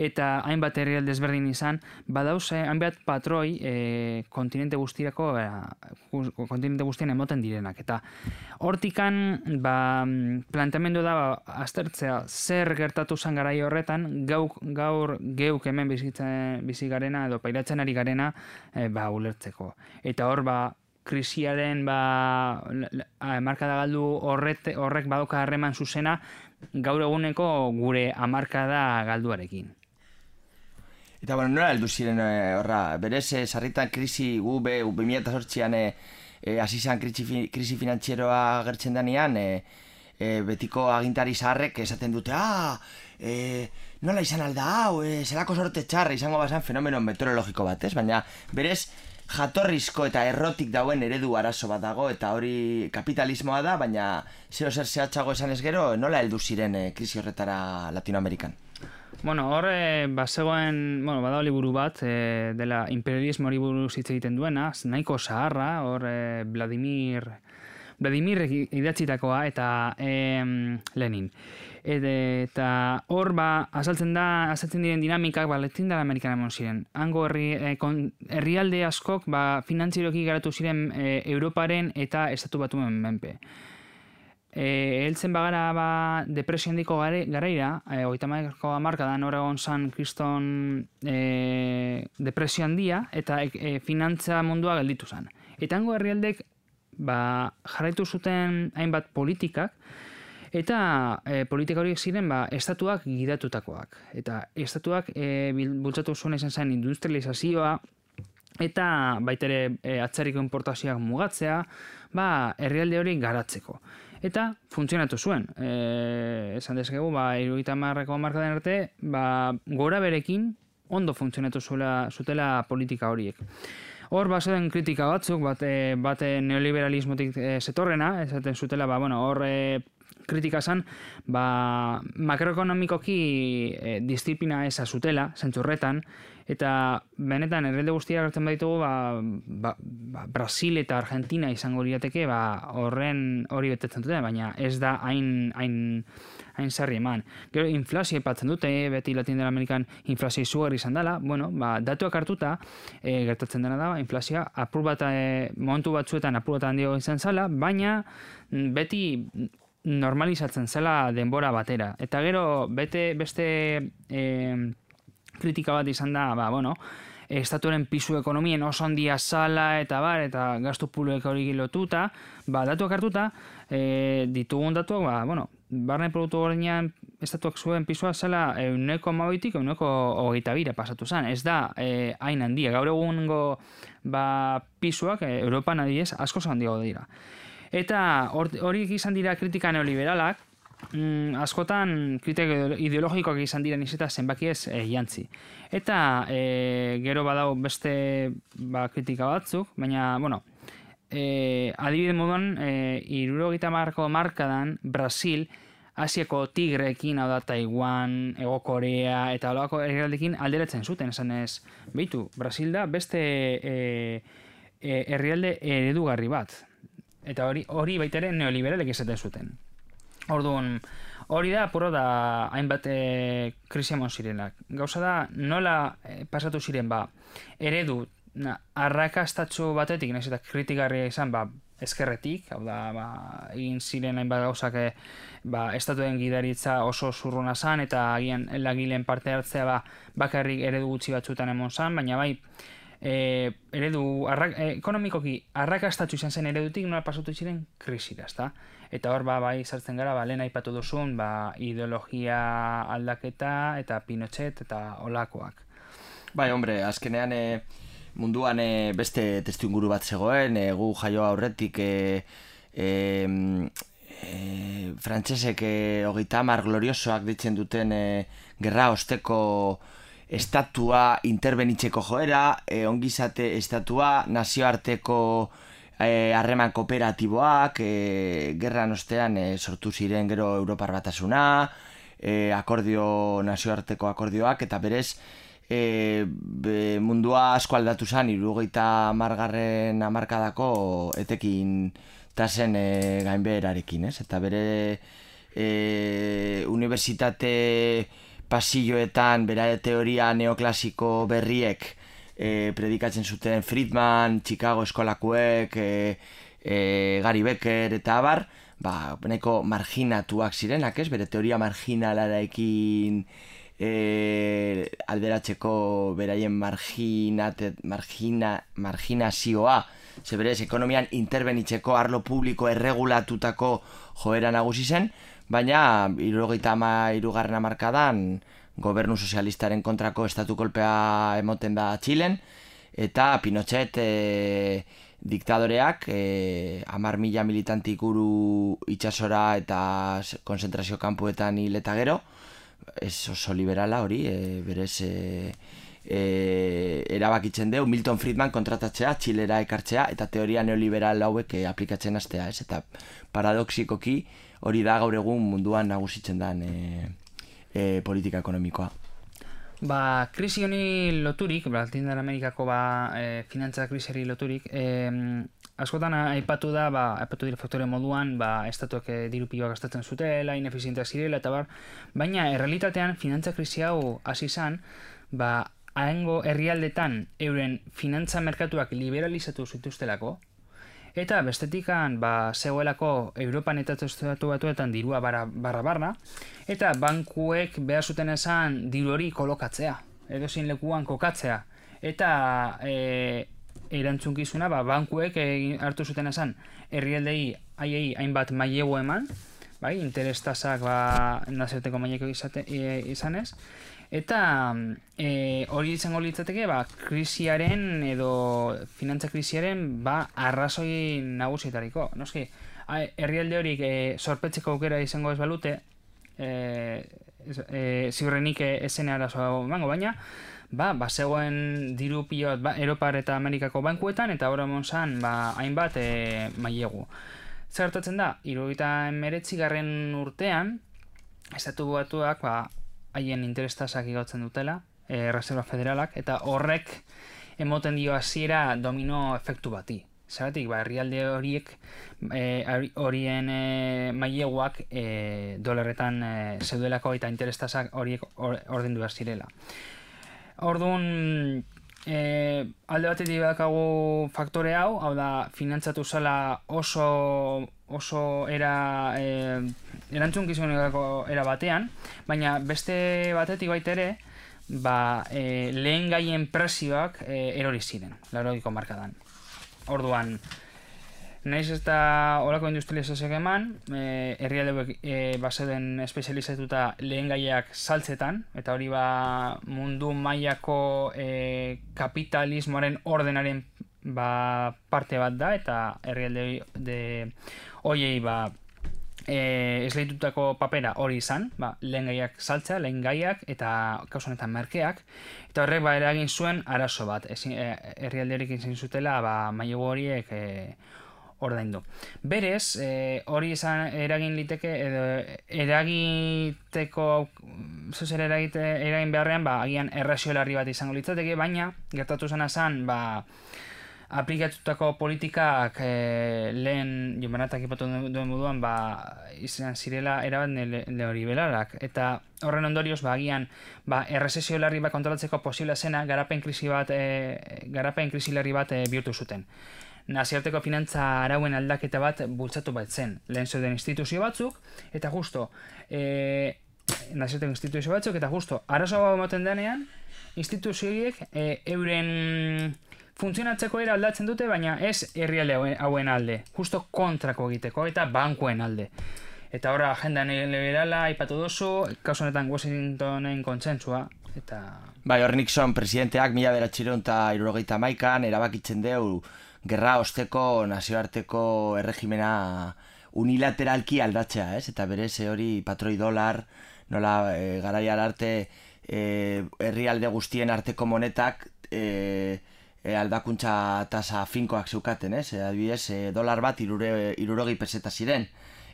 Speaker 3: eta hainbat herrialde desberdin izan, badauze hainbat patroi e, kontinente guztirako, e, kontinente guztien emoten direnak. Eta hortikan ba, planteamendu da ba, aztertzea zer gertatu zen garai horretan, gauk, gaur geuk hemen bizitzen, bizi garena edo pairatzen ari garena e, ba, ulertzeko. Eta hor, ba, krisiaren ba, hamarkada galdu horret, horrek badoka harreman zuzena gaur eguneko gure hamarkada galduarekin.
Speaker 4: Eta, bueno, nola heldu ziren horra, berez, e, sarritan krisi gu be, bi mila zortzian e, e, asizan krisi, krisi finantzieroa gertzen denean, e, e, betiko agintari zaharrek esaten dute, ah, e, nola izan alda hau, e, zelako sorte txarra izango bazan fenomeno meteorologiko bat, ez? Baina, berez, jatorrizko eta errotik dauen eredu arazo bat dago, eta hori kapitalismoa da, baina zeo zer zehatzago esan ez gero, nola heldu ziren e, krisi horretara Latinoamerikan?
Speaker 3: Bueno, hor, e, bazegoen, bueno, bada liburu bat, e, dela imperialismo hori buruz hitz egiten duena, nahiko zaharra, hor, e, Vladimir, Vladimir idatzitakoa, eta e, Lenin. E, eta hor, ba, azaltzen da, azaltzen diren dinamikak, ba, Latindar Amerikan emon ziren. Hango herri, e, kon, herrialde askok, ba, finantzieroki garatu ziren e, Europaren eta Estatu Batuen menpe. E, heltzen bagara ba, depresio handiko garaira, e, hogeita hamarreko hamarkadan hor egon zan kriston e, depresio handia, eta e, finantza mundua gelditu zen. Eta hango herrialdek ba, jarraitu zuten hainbat politikak, eta e, politika horiek ziren ba, estatuak gidatutakoak. Eta estatuak e, bultzatu zuen izan zen industrializazioa, eta baitere e, atzerriko importazioak mugatzea, ba, herrialde hori garatzeko. Eta funtzionatu zuen. E, esan dezakegu, ba, hirurogeita hamarreko hamarkadan arte, ba, gora berekin ondo funtzionatu zuela, zutela politika horiek. Hor, bazen kritika batzuk, bate, bate neoliberalismotik e, zetorrena, esaten zutela, ba, bueno, hor e, kritika zen, ba, makroekonomikoki e, disiplina eza zutela, zentzurretan, eta benetan herrialde guztiak hartzen baditugu, ba, ba, ba, Brasil eta Argentina izango lirateke ba, horren hori betetzen dute, baina ez da hain, hain, hain sarri eman. Gero inflazio aipatzen dute, beti Latin Amerikan inflazio izugarri izan dela, bueno, ba, datuak hartuta, e, gertatzen dena da, inflazioa apur bat, e, momentu batzuetan apur bat handiago izan zela, baina beti normalizatzen zela denbora batera. Eta gero bete beste e, kritika bat izan da, ba, bueno, estatuaren pisu ekonomien oso handia zala eta bar, eta gastu publiko hori lotuta, ba, datuak hartuta, e, ditugun datuak, ba, bueno, barne produktu gordinean estatuak zuen pisua zela euneko hamabitik euneko hogeita bira pasatu zen. Ez da e, hain handia. Gaur egungo ba, pisuak e, Europan adibidez asko handiago dira. Eta horiek izan dira kritika neoliberalak, Mm, askotan kritika ideologikoak izan diren izeta zenbaki ez e, jantzi. Eta e, gero badau beste ba, kritika batzuk, baina, bueno, e, adibide moduan, e, hirurogeita hamarko markadan Brasil, Asiako tigreekin, hau da Taiwan, Hego Korea eta holako herrialdeekin alderatzen zuten, esan ez, behitu, Brasil da beste e, e, herrialde eredugarri bat. Eta hori, hori baita ere neoliberalek izaten zuten. Orduan, hori da, apuro da, hainbat e, krisia mon zirenak. Gauza da, nola e, pasatu ziren, ba, eredu, na, arrakastatxo batetik, nahiz eta kritikarria izan, ba, ezkerretik, hau da, ba, egin ziren hainbat gauzak, e, ba, estatuen gidaritza oso zurruna zan, eta agian lagileen parte hartzea, ba, bakarrik eredu gutxi batzutan emon zan, baina bai, E, eredu arra, e, ekonomikoki arrakastatxu izan zen eredutik nola pasatu ziren krisira, ezta? Eta hor ba, bai sartzen gara, ba, lehen aipatu duzun, ba, ideologia aldaketa eta Pinochet eta olakoak.
Speaker 4: Bai, hombre, azkenean e, munduan e, beste testuinguru bat zegoen, e, gu jaio aurretik e, e, e, frantsesek e, hogeita hamar gloriosoak ditzen duten e, gerra osteko estatua interbenitzeko joera, e, ongizate estatua, nazioarteko harreman e, kooperatiboak, e, gerran ostean e, sortu ziren gero Europar Batasuna, e, akordio, nazioarteko akordioak, eta berez e, be, mundua asko aldatu zen, hirurogeita hamargarren hamarkadako etekin tasen e, gainbeherarekin, ez? Eta bere e, unibertsitate pasilloetan bera teoria neoklasiko berriek e, predikatzen zuten Friedman, Chicago eskolakuek, e, e, Gary Becker eta abar, ba, nahiko marginatuak zirenak, ez? Bere teoria marginalarekin e, alderatzeko beraien marginate, margina, marginazioa, ze berez ekonomian interbenitzeko arlo publiko erregulatutako joera nagusi zen, baina hirurogeita hirugarren hamarkadan gobernu sozialistaren kontrako estatu kolpea emoten da Txilen, eta Pinochet e, diktadoreak e, hamar mila militantik uru itsasora eta konzentrazio kanpuetan hil eta gero, ez oso liberala hori, e, berez e, e, erabakitzen deu Milton Friedman kontratatzea, Txilera ekartzea eta teoria neoliberal hauek e, aplikatzen hastea, ez? Eta paradoxikoki hori da gaur egun munduan nagusitzen den e, e, politika ekonomikoa.
Speaker 3: Ba, krisi honi loturik, Latin Amerikako ba, e, finantza krisiari loturik, e, askotan aipatu da, ba, aipatu dira faktore moduan, ba, estatuak e, diru piloa gastatzen zutela, inefizienteak zirela, eta bar, baina errealitatean finantza krisi hau hasi izan, ba, haengo herrialdetan euren finantza merkatuak liberalizatu zituztelako, eta bestetikan ba, zegoelako Europan eta estatu batuetan dirua barra, barra barra, eta bankuek behar zuten esan diru hori kolokatzea, edozein lekuan kokatzea. Eta e, erantzunkizuna ba, bankuek e, hartu zuten esan herrialdei haiei hainbat mailegu eman, bai, interestasak ba, nazioarteko maileko izate, e, izanez, eta e, hori izango litzateke ba, krisiaren edo finantza krisiaren ba, arrazoi nagusietariko. Noski, herrialde horik e, sorpetzeko aukera izango ez balute, e, e, ziurrenik esen arazoa emango, baina ba, ba, zegoen diru pilot ba, Europar eta Amerikako bankuetan, eta hori monzan ba, hainbat e, mailegu. Zer gertatzen da, hirurogeita hemeretzigarren urtean, estatu batuak ba, haien interestasak igautzen dutela, e, Reserva Federalak, eta horrek emoten dio hasiera domino efektu bati. Zeratik, ba, herrialde horiek, e, horien e, maileguak e, dolarretan e, zeudelako eta interestazak horiek or, ordendu behar zirela. Orduan, e, alde batetik badakagu faktore hau, hau da, finantzatu zela oso, oso era, e, erantzunkizuneko era batean, baina beste batetik baita ere, ba, e, lehen gaien prezioak e, erori ziren, laurogiko markadan. Orduan, naiz ez da olako industrializazioak eman, e, herrialde e, bazeuden espezializatuta lehen gaiak saltzetan, eta hori ba mundu mailako e, kapitalismoaren ordenaren ba, parte bat da, eta herrialde de hoiei ba, e, esleitutako papera hori izan, ba, lehen gaiak saltzea, lehen gaiak, eta kausonetan merkeak, eta horrek ba, eragin zuen arazo bat, herrialderik izan zutela ba, mailegu horiek e, ordaindu. Berez, e, hori izan eragin liteke, edo eragiteko, zozer eragite, eragin beharrean, ba, agian errazio larri bat izango litzateke, baina, gertatu zena zen, ba, aplikatutako politikak e, lehen Jombanatak ipatu duen moduan ba, izan zirela erabat neoliberalak. Eta horren ondorioz, ba, agian ba, errezesio larri bat kontrolatzeko posible zena garapen krisi bat, e, garapen krisi larri bat e, bihurtu zuten. Nazioarteko finantza arauen aldaketa bat bultzatu bat zen. Lehen zeuden instituzio batzuk, eta justo, e, nazioarteko instituzio batzuk, eta justo, arazo bat moten denean, instituzioiek e, euren funtzionatzeko era aldatzen dute, baina ez herrialde hauen alde, justo kontrako egiteko eta bankuen alde. Eta horra agenda neoliberala aipatu duzu, kasu honetan Washingtonen kontsentsua, eta...
Speaker 4: Bai, hor Nixon presidenteak mila bederatziehun eta hirurogeita hamaikan erabakitzen deu gerra osteko nazioarteko erregimena unilateralki aldatzea, ez? Eta berez hori patroi dolar, nola e, garaiar arte e, herrialde guztien arteko monetak e, E, aldakuntza tasa finkoak zeukaten, ez? E, adibidez, e, dolar bat hirurogei peseta ziren.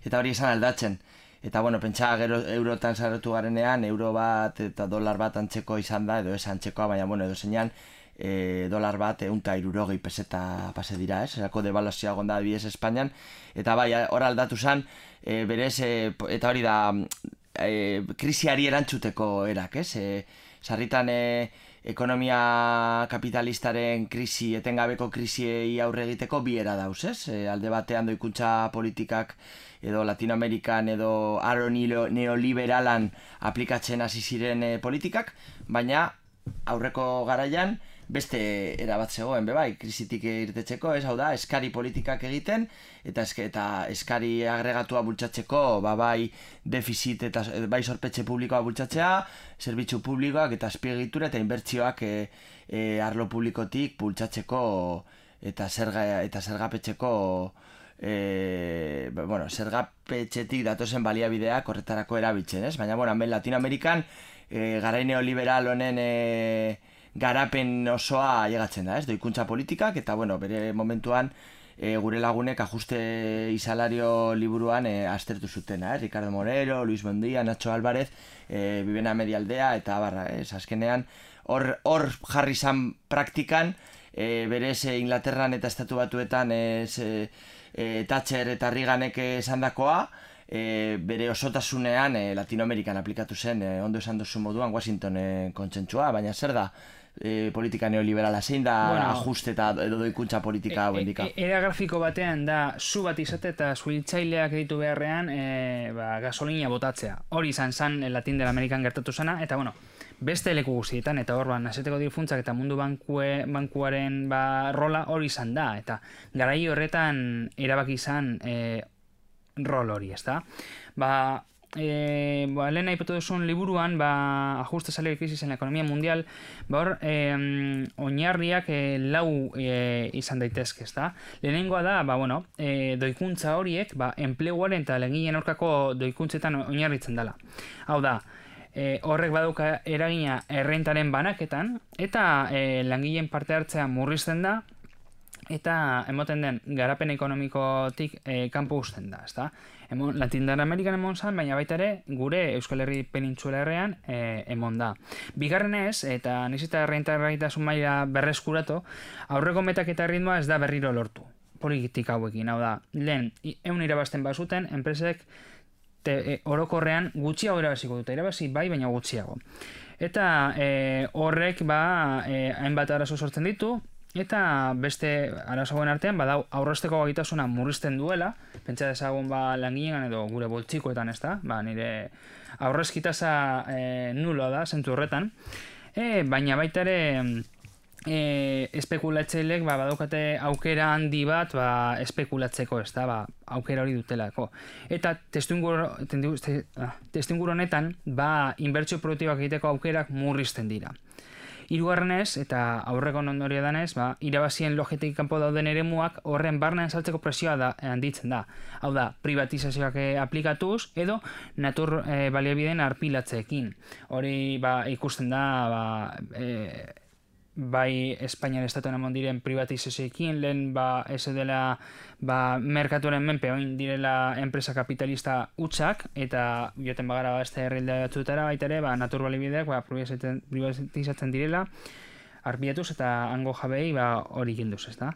Speaker 4: Eta hori esan aldatzen. Eta, bueno, pentsa gero eurotan sartu garenean, euro bat eta dolar bat antzeko izan da, edo ez antzekoa, baina, bueno, edo zeinan, e, dolar bat ehun eta hirurogei peseta pase dira, ez? Erako devaluazioa gonda adibidez Espainian. Eta bai, hor aldatu zen, e, berez, e, eta hori da, e, krisiari erantzuteko erak, ez? E, sarritan, e, ekonomia kapitalistaren krisi, etengabeko krisiei aurre egiteko bi era dauz, ez? E, alde batean doikuntza politikak edo Latinoamerikan edo aro neoliberalan aplikatzen hasi ziren e, politikak, baina aurreko garaian beste erabat zegoen, bebai, krisitik irtetzeko, ez hau da, eskari politikak egiten, eta, eske, eta eskari agregatua bultzatzeko, ba, bai defizit eta bai sorpetxe publikoa bultzatzea, zerbitzu publikoak eta azpiegitura eta inbertsioak e, e, arlo publikotik bultzatzeko eta zerga eta zergapetzeko e, bueno, zergapetxetik datozen baliabideak horretarako erabiltzen, ez? Baina, bueno, hemen Latinoamerikan e, garai neoliberal honen e, garapen osoa llegatzen da, ez? Doikuntza politikak, eta, bueno, bere momentuan e, gure lagunek ajuste y salario liburuan e, aztertu zutena, eh? Ricardo Morero, Luis Bondia, Nacho Álvarez, e, Vivena Medialdea, eta barra, ez? Azkenean, hor, hor jarri zan praktikan, e, berez e, Inglaterran eta Estatu Batuetan ez, e, e, Thatcher eta Reaganek esandakoa, E, bere osotasunean e, Latinoamerikan aplikatu zen, e, ondo esan duzu moduan Washingtonen kontsentsua, baina zer da e, politika neoliberala, zein da bueno, ajuste eta edo doikuntza politika hau indika? E, e, era grafiko batean da zu bat izate eta suhiltzaileak ditu beharrean e, ba, gasolina botatzea. Hori izan zen Latin del Amerikan gertatu zena, eta bueno, beste leku guztietan, eta hor, ba, nazeteko difuntzak eta mundu bankue, bankuaren ba, rola hori izan da, eta garai horretan erabaki izan e, rol hori, ezta? Ba, e, ba, lehen nahi duzun liburuan, ba, ajuste salari crisis en la economía mundial, ba, hor, e, oinarriak e, lau e, izan daitezke, ezta? Lehenengoa da, ba, bueno, e, doikuntza horiek, ba, enpleguaren eta langileen aurkako doikuntzetan oinarritzen dela. Hau da, e, horrek badauka eragina errentaren banaketan, eta e, langileen parte hartzea murrizten da, eta emoten den garapen ekonomikotik e, kanpo uzten da, ezta? Emon, Latindar Amerikan emon zan, baina baita ere gure Euskal Herri penintxula herrean e, emon da. Bigarrenez, eta nizita errentagarritasun maila berreskuratu, aurreko metak eta ritmoa ez da berriro lortu.
Speaker 3: politika hauekin, hau da, lehen, eun irabazten bazuten, enpresek te, e, orokorrean gutxiago irabaziko dute, irabazi bai, baina gutxiago. Eta e, horrek ba, e, hainbat arazo sortzen ditu, eta beste arazoen artean, badau aurrezteko gaitasuna murrizten duela, pentsa dezagun ba, langilean edo gure boltsikoetan, ez da, ba, nire aurrezkitasa e, nuloa da, zentzu horretan, e, baina baita ere, E, espekulatzeileek ba, badaukate aukera handi bat ba, espekulatzeko, ez da, ba, aukera hori dutelako. Eta testuinguru honetan ba, inbertsio produktiboak egiteko aukerak murrizten dira. Hirugarrenez, eta aurreko ondorio danez, ba, irabazien logetik kanpo dauden eremuak horren barnean saltzeko presioa da, handitzen da. Hau da, privatizazioak aplikatuz edo natur e, baliabideen arpilatzeekin. Hori ba, ikusten da ba, e, bai Espainian estatuan emon diren privatizazioekin, lehen ba, ez dela ba, merkatuaren menpe oin direla enpresa kapitalista hutsak, eta joten bagara ba, este herrilde batzutara baita ere, ba, natur baliabideak ba, privatizatzen direla, arpilatuz eta hango jabei ba, hori ginduz, ez da.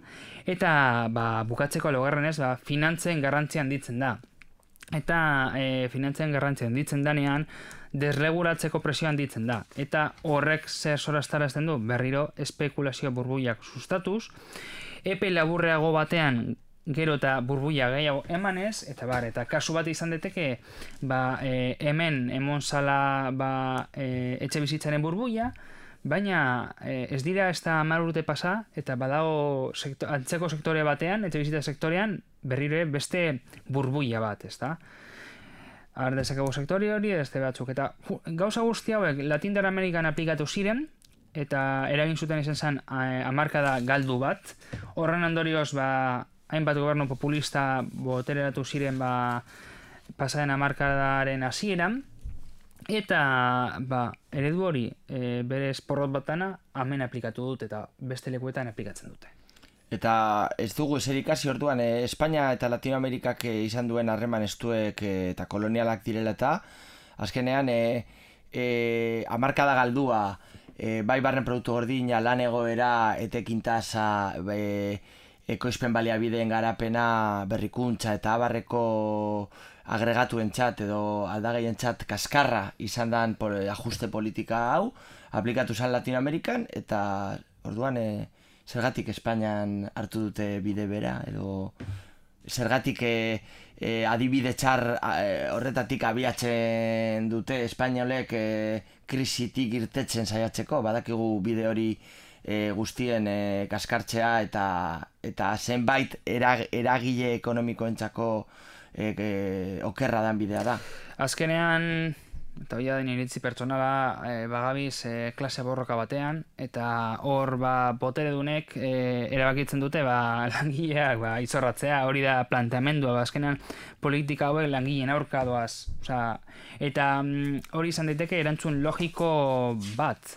Speaker 3: Eta ba, bukatzeko laugarrenez, ba, finantzen garrantzia handitzen da. Eta e, finantzen garrantzia handitzen danean, desregulatzeko presio handitzen da. Eta horrek zer sorastarazten du, berriro espekulazio burbuiak sustatuz, epe laburreago batean gero eta burbuia gehiago emanez, eta bar, eta kasu bat izan deteke, ba, e, hemen emon zala ba, e, etxe bizitzaren burbuia, baina e, ez dira ez da hamar urte pasa, eta badago sektor, antzeko sektore batean, etxe bizitza sektorean, berriro beste burbuia bat, ez da? Har dezakegu sektori hori, beste batzuk, eta gauza guzti hauek Latindar Amerikan aplikatu ziren, eta eragin zuten izan zen hamarkada galdu bat. Horren ondorioz, ba, hainbat gobernu populista botereratu ziren ba, pasaren hamarkadaren hasieran, eta ba, eredu hori e, berez porrot batana hemen aplikatu dut eta beste lekuetan aplikatzen dute.
Speaker 4: Eta ez dugu ezer ikasi orduan, eh, Espainia eta Latinoamerikak eh, izan duen harreman estuek eh, eta kolonialak direla eta azkenean eh, eh, hamarkada galdua, eh, bai barren produktu gordina, lan egoera, etekin tasa, eh, ekoizpen baliabideen garapena, berrikuntza eta abarreko agregatuen txat edo aldageien txat kaskarra izan dan por, ajuste politika hau, aplikatu zen Latinoamerikan eta orduan eh, zergatik Espainian hartu dute bide bera, edo zergatik e, e, adibide txar e, horretatik abiatzen dute espainolek e, krisitik irtetzen saiatzeko, badakigu bide hori e, guztien e, kaskartzea eta eta zenbait erag, eragile ekonomikoentzako e, e, okerra dan bidea da.
Speaker 3: Azkenean, eta hori da iritzi pertsonala e, bagabiz e, klase borroka batean, eta hor ba, boteredunek e, erabakitzen dute ba, langileak ba, izorratzea, hori da planteamendua, ba, azkenean politika hauek langileen aurka doaz. Osea, eta mm, hori izan daiteke erantzun logiko bat.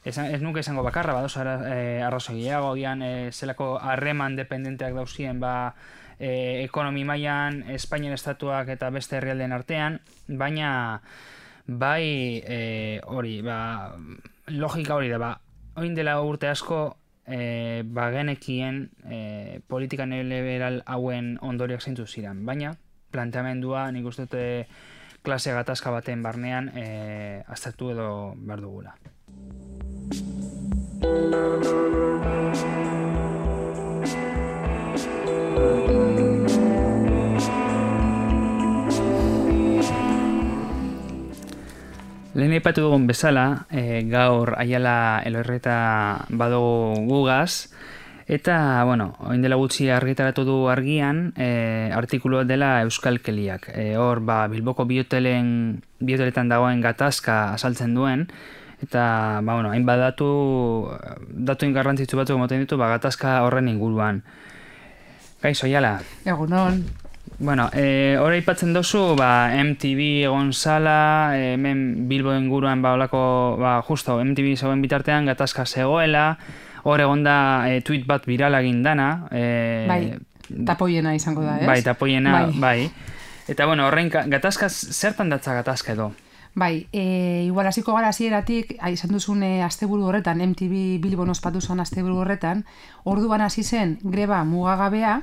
Speaker 3: Ez, ez nuke izango bakarra, badoz e, arrazoiago, gian e, zelako harreman dependenteak dauzien ba, e, ekonomi mailan, Espainian estatuak eta beste herrialdeen artean, baina bai e, hori, ba, logika hori da, ba, oin dela urte asko e, ba, genekien e, politika neoliberal hauen ondoriak zeintzu ziren, baina planteamendua nik uste dute klase gatazka baten barnean e, aztertu edo behar dugula. Lehen aipatu dugun bezala, e, gaur Aiala Elorrieta badugu gugaz, eta, bueno, oin dela gutxi argitaratu du argian, e, artikulua dela Euskalkeliak. E, hor, ba, Bilboko biotelen, bioteletan dagoen gatazka azaltzen duen, eta, ba, bueno, hain badatu, datu ingarrantzitsu batzuk emoten ditu, ba, gatazka horren inguruan. Kaixo, Aiala?
Speaker 5: Egunon.
Speaker 3: Bueno, eh, hor aipatzen dozu, ba, M T V egon zala, eh, hemen Bilbo inguruan, ba, olako, ba, justo, M T V zegoen bitartean gatazka zegoela, hor egon da eh, tweet bat virala egin dana. Eh,
Speaker 5: bai, tapoiena izango da, ez?
Speaker 3: Bai, tapoiena,
Speaker 5: bai.
Speaker 3: bai. Eta, bueno, horrein, gatazka, zertan datza gatazka edo?
Speaker 5: Bai, e, igual hasiko gara hasieratik, izan duzun e, asteburu horretan, M T V Bilbon ospatu zen asteburu horretan, orduan hasi zen greba mugagabea,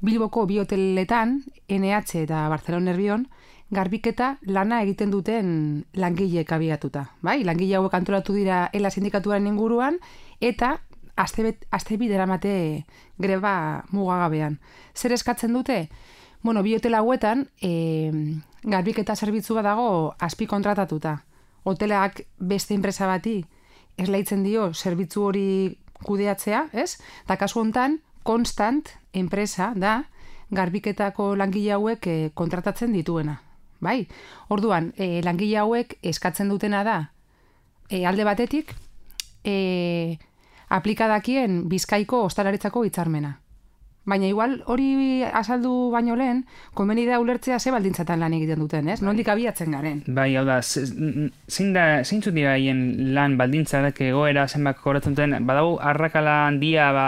Speaker 5: Bilboko bi hoteletan, N H eta Barcelona Nerbion, garbiketa lana egiten duten langileek abiatuta. Bai? Langile hauek antolatu dira ELA sindikatuaren inguruan, eta azte bi deramate greba mugagabean. Zer eskatzen dute? Bueno, bi hotel hauetan, e, garbiketa zerbitzu bat dago azpi kontratatuta. Hotelak beste enpresa bati esleitzen dio zerbitzu hori kudeatzea, ez? Da kasu hontan, Constant enpresa da garbiketako langile hauek e, kontratatzen dituena. Bai? Orduan, e, langile hauek eskatzen dutena da, e, alde batetik, e, aplikadakien Bizkaiko ostalaritzako hitzarmena. Baina igual hori azaldu baino lehen, konbeni da ulertzea ze baldintzatan lan egiten duten, ez? Nondik abiatzen garen.
Speaker 3: Bai, hau da, zein da, zeintzu dira haien lan baldintzak egoera zenbak kobratzen duten, badago arrakala handia ba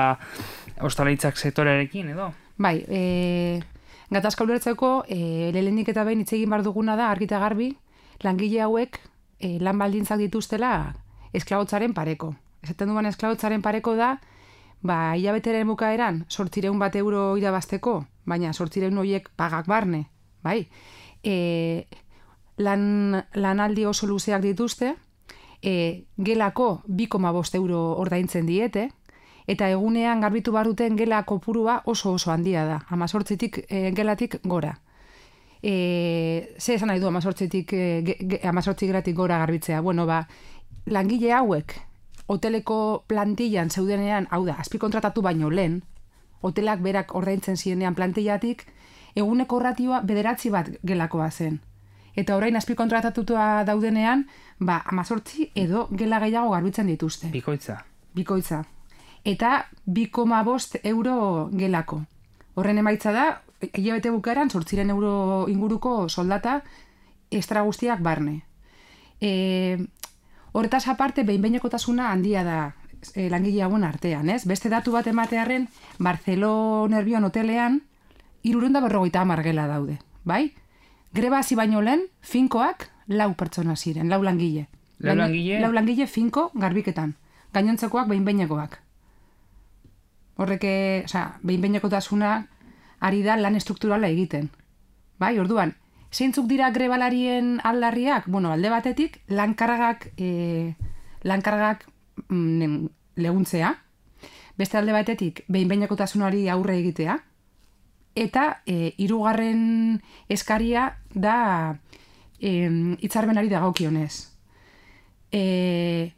Speaker 3: ostalaritzak sektorearekin edo?
Speaker 5: Bai, e, gatazka ulertzeko, e, lehenik eta behin hitz egin behar duguna da argita garbi, langile hauek e, lan baldintzak dituztela esklabotzaren pareko. Esaten duan esklabotzaren pareko da, ba, hilabeteren bukaeran zortzireun bat euro irabazteko, baina zortzireun horiek pagak barne, bai? E, lan, lanaldi oso luzeak dituzte, e, gelako bi koma bost euro ordaintzen diete, eta egunean garbitu barruten gela kopurua oso oso handia da, amazortzitik e, gelatik gora. E, ze esan nahi du amazortzitik, e, amazortzik gelatik gora garbitzea? Bueno, ba, langile hauek, hoteleko plantillan zeudenean, hau da, azpikontratatu baino lehen, hotelak berak ordaintzen zienean plantillatik, eguneko ratioa bederatzi bat gelakoa zen. Eta orain azpikontratatutua daudenean, ba, amazortzi edo gela gehiago garbitzen dituzte.
Speaker 3: Bikoitza.
Speaker 5: Bikoitza. Eta bi koma bost euro gelako. Horren emaitza da, hilabete bukaeran zortziren euro inguruko soldata estra guztiak barne. E, Horretaz aparte, behin-behinekotasuna handia da e, langile hauen artean, ez? Beste datu bat ematearren, Barcelona Nerbion hotelean, hirurehun eta berrogeita hamar gela daude, bai? Greba hasi baino lehen, finkoak lau pertsona ziren, lau langile.
Speaker 3: Lau langile?
Speaker 5: Lau langile finko garbiketan. Gainontzekoak behin-behinekoak. Horreke, osea, behin-behinekotasuna ari da lan estrukturala egiten. Bai, orduan, zeintzuk dira grebalarien aldarriak? Bueno, alde batetik, lankargak, e, lankargak mm, leguntzea, beste alde batetik, behin-behinekotasunari aurre egitea, eta e, hirugarren eskaria da e, hitzarmenari dagokionez. E,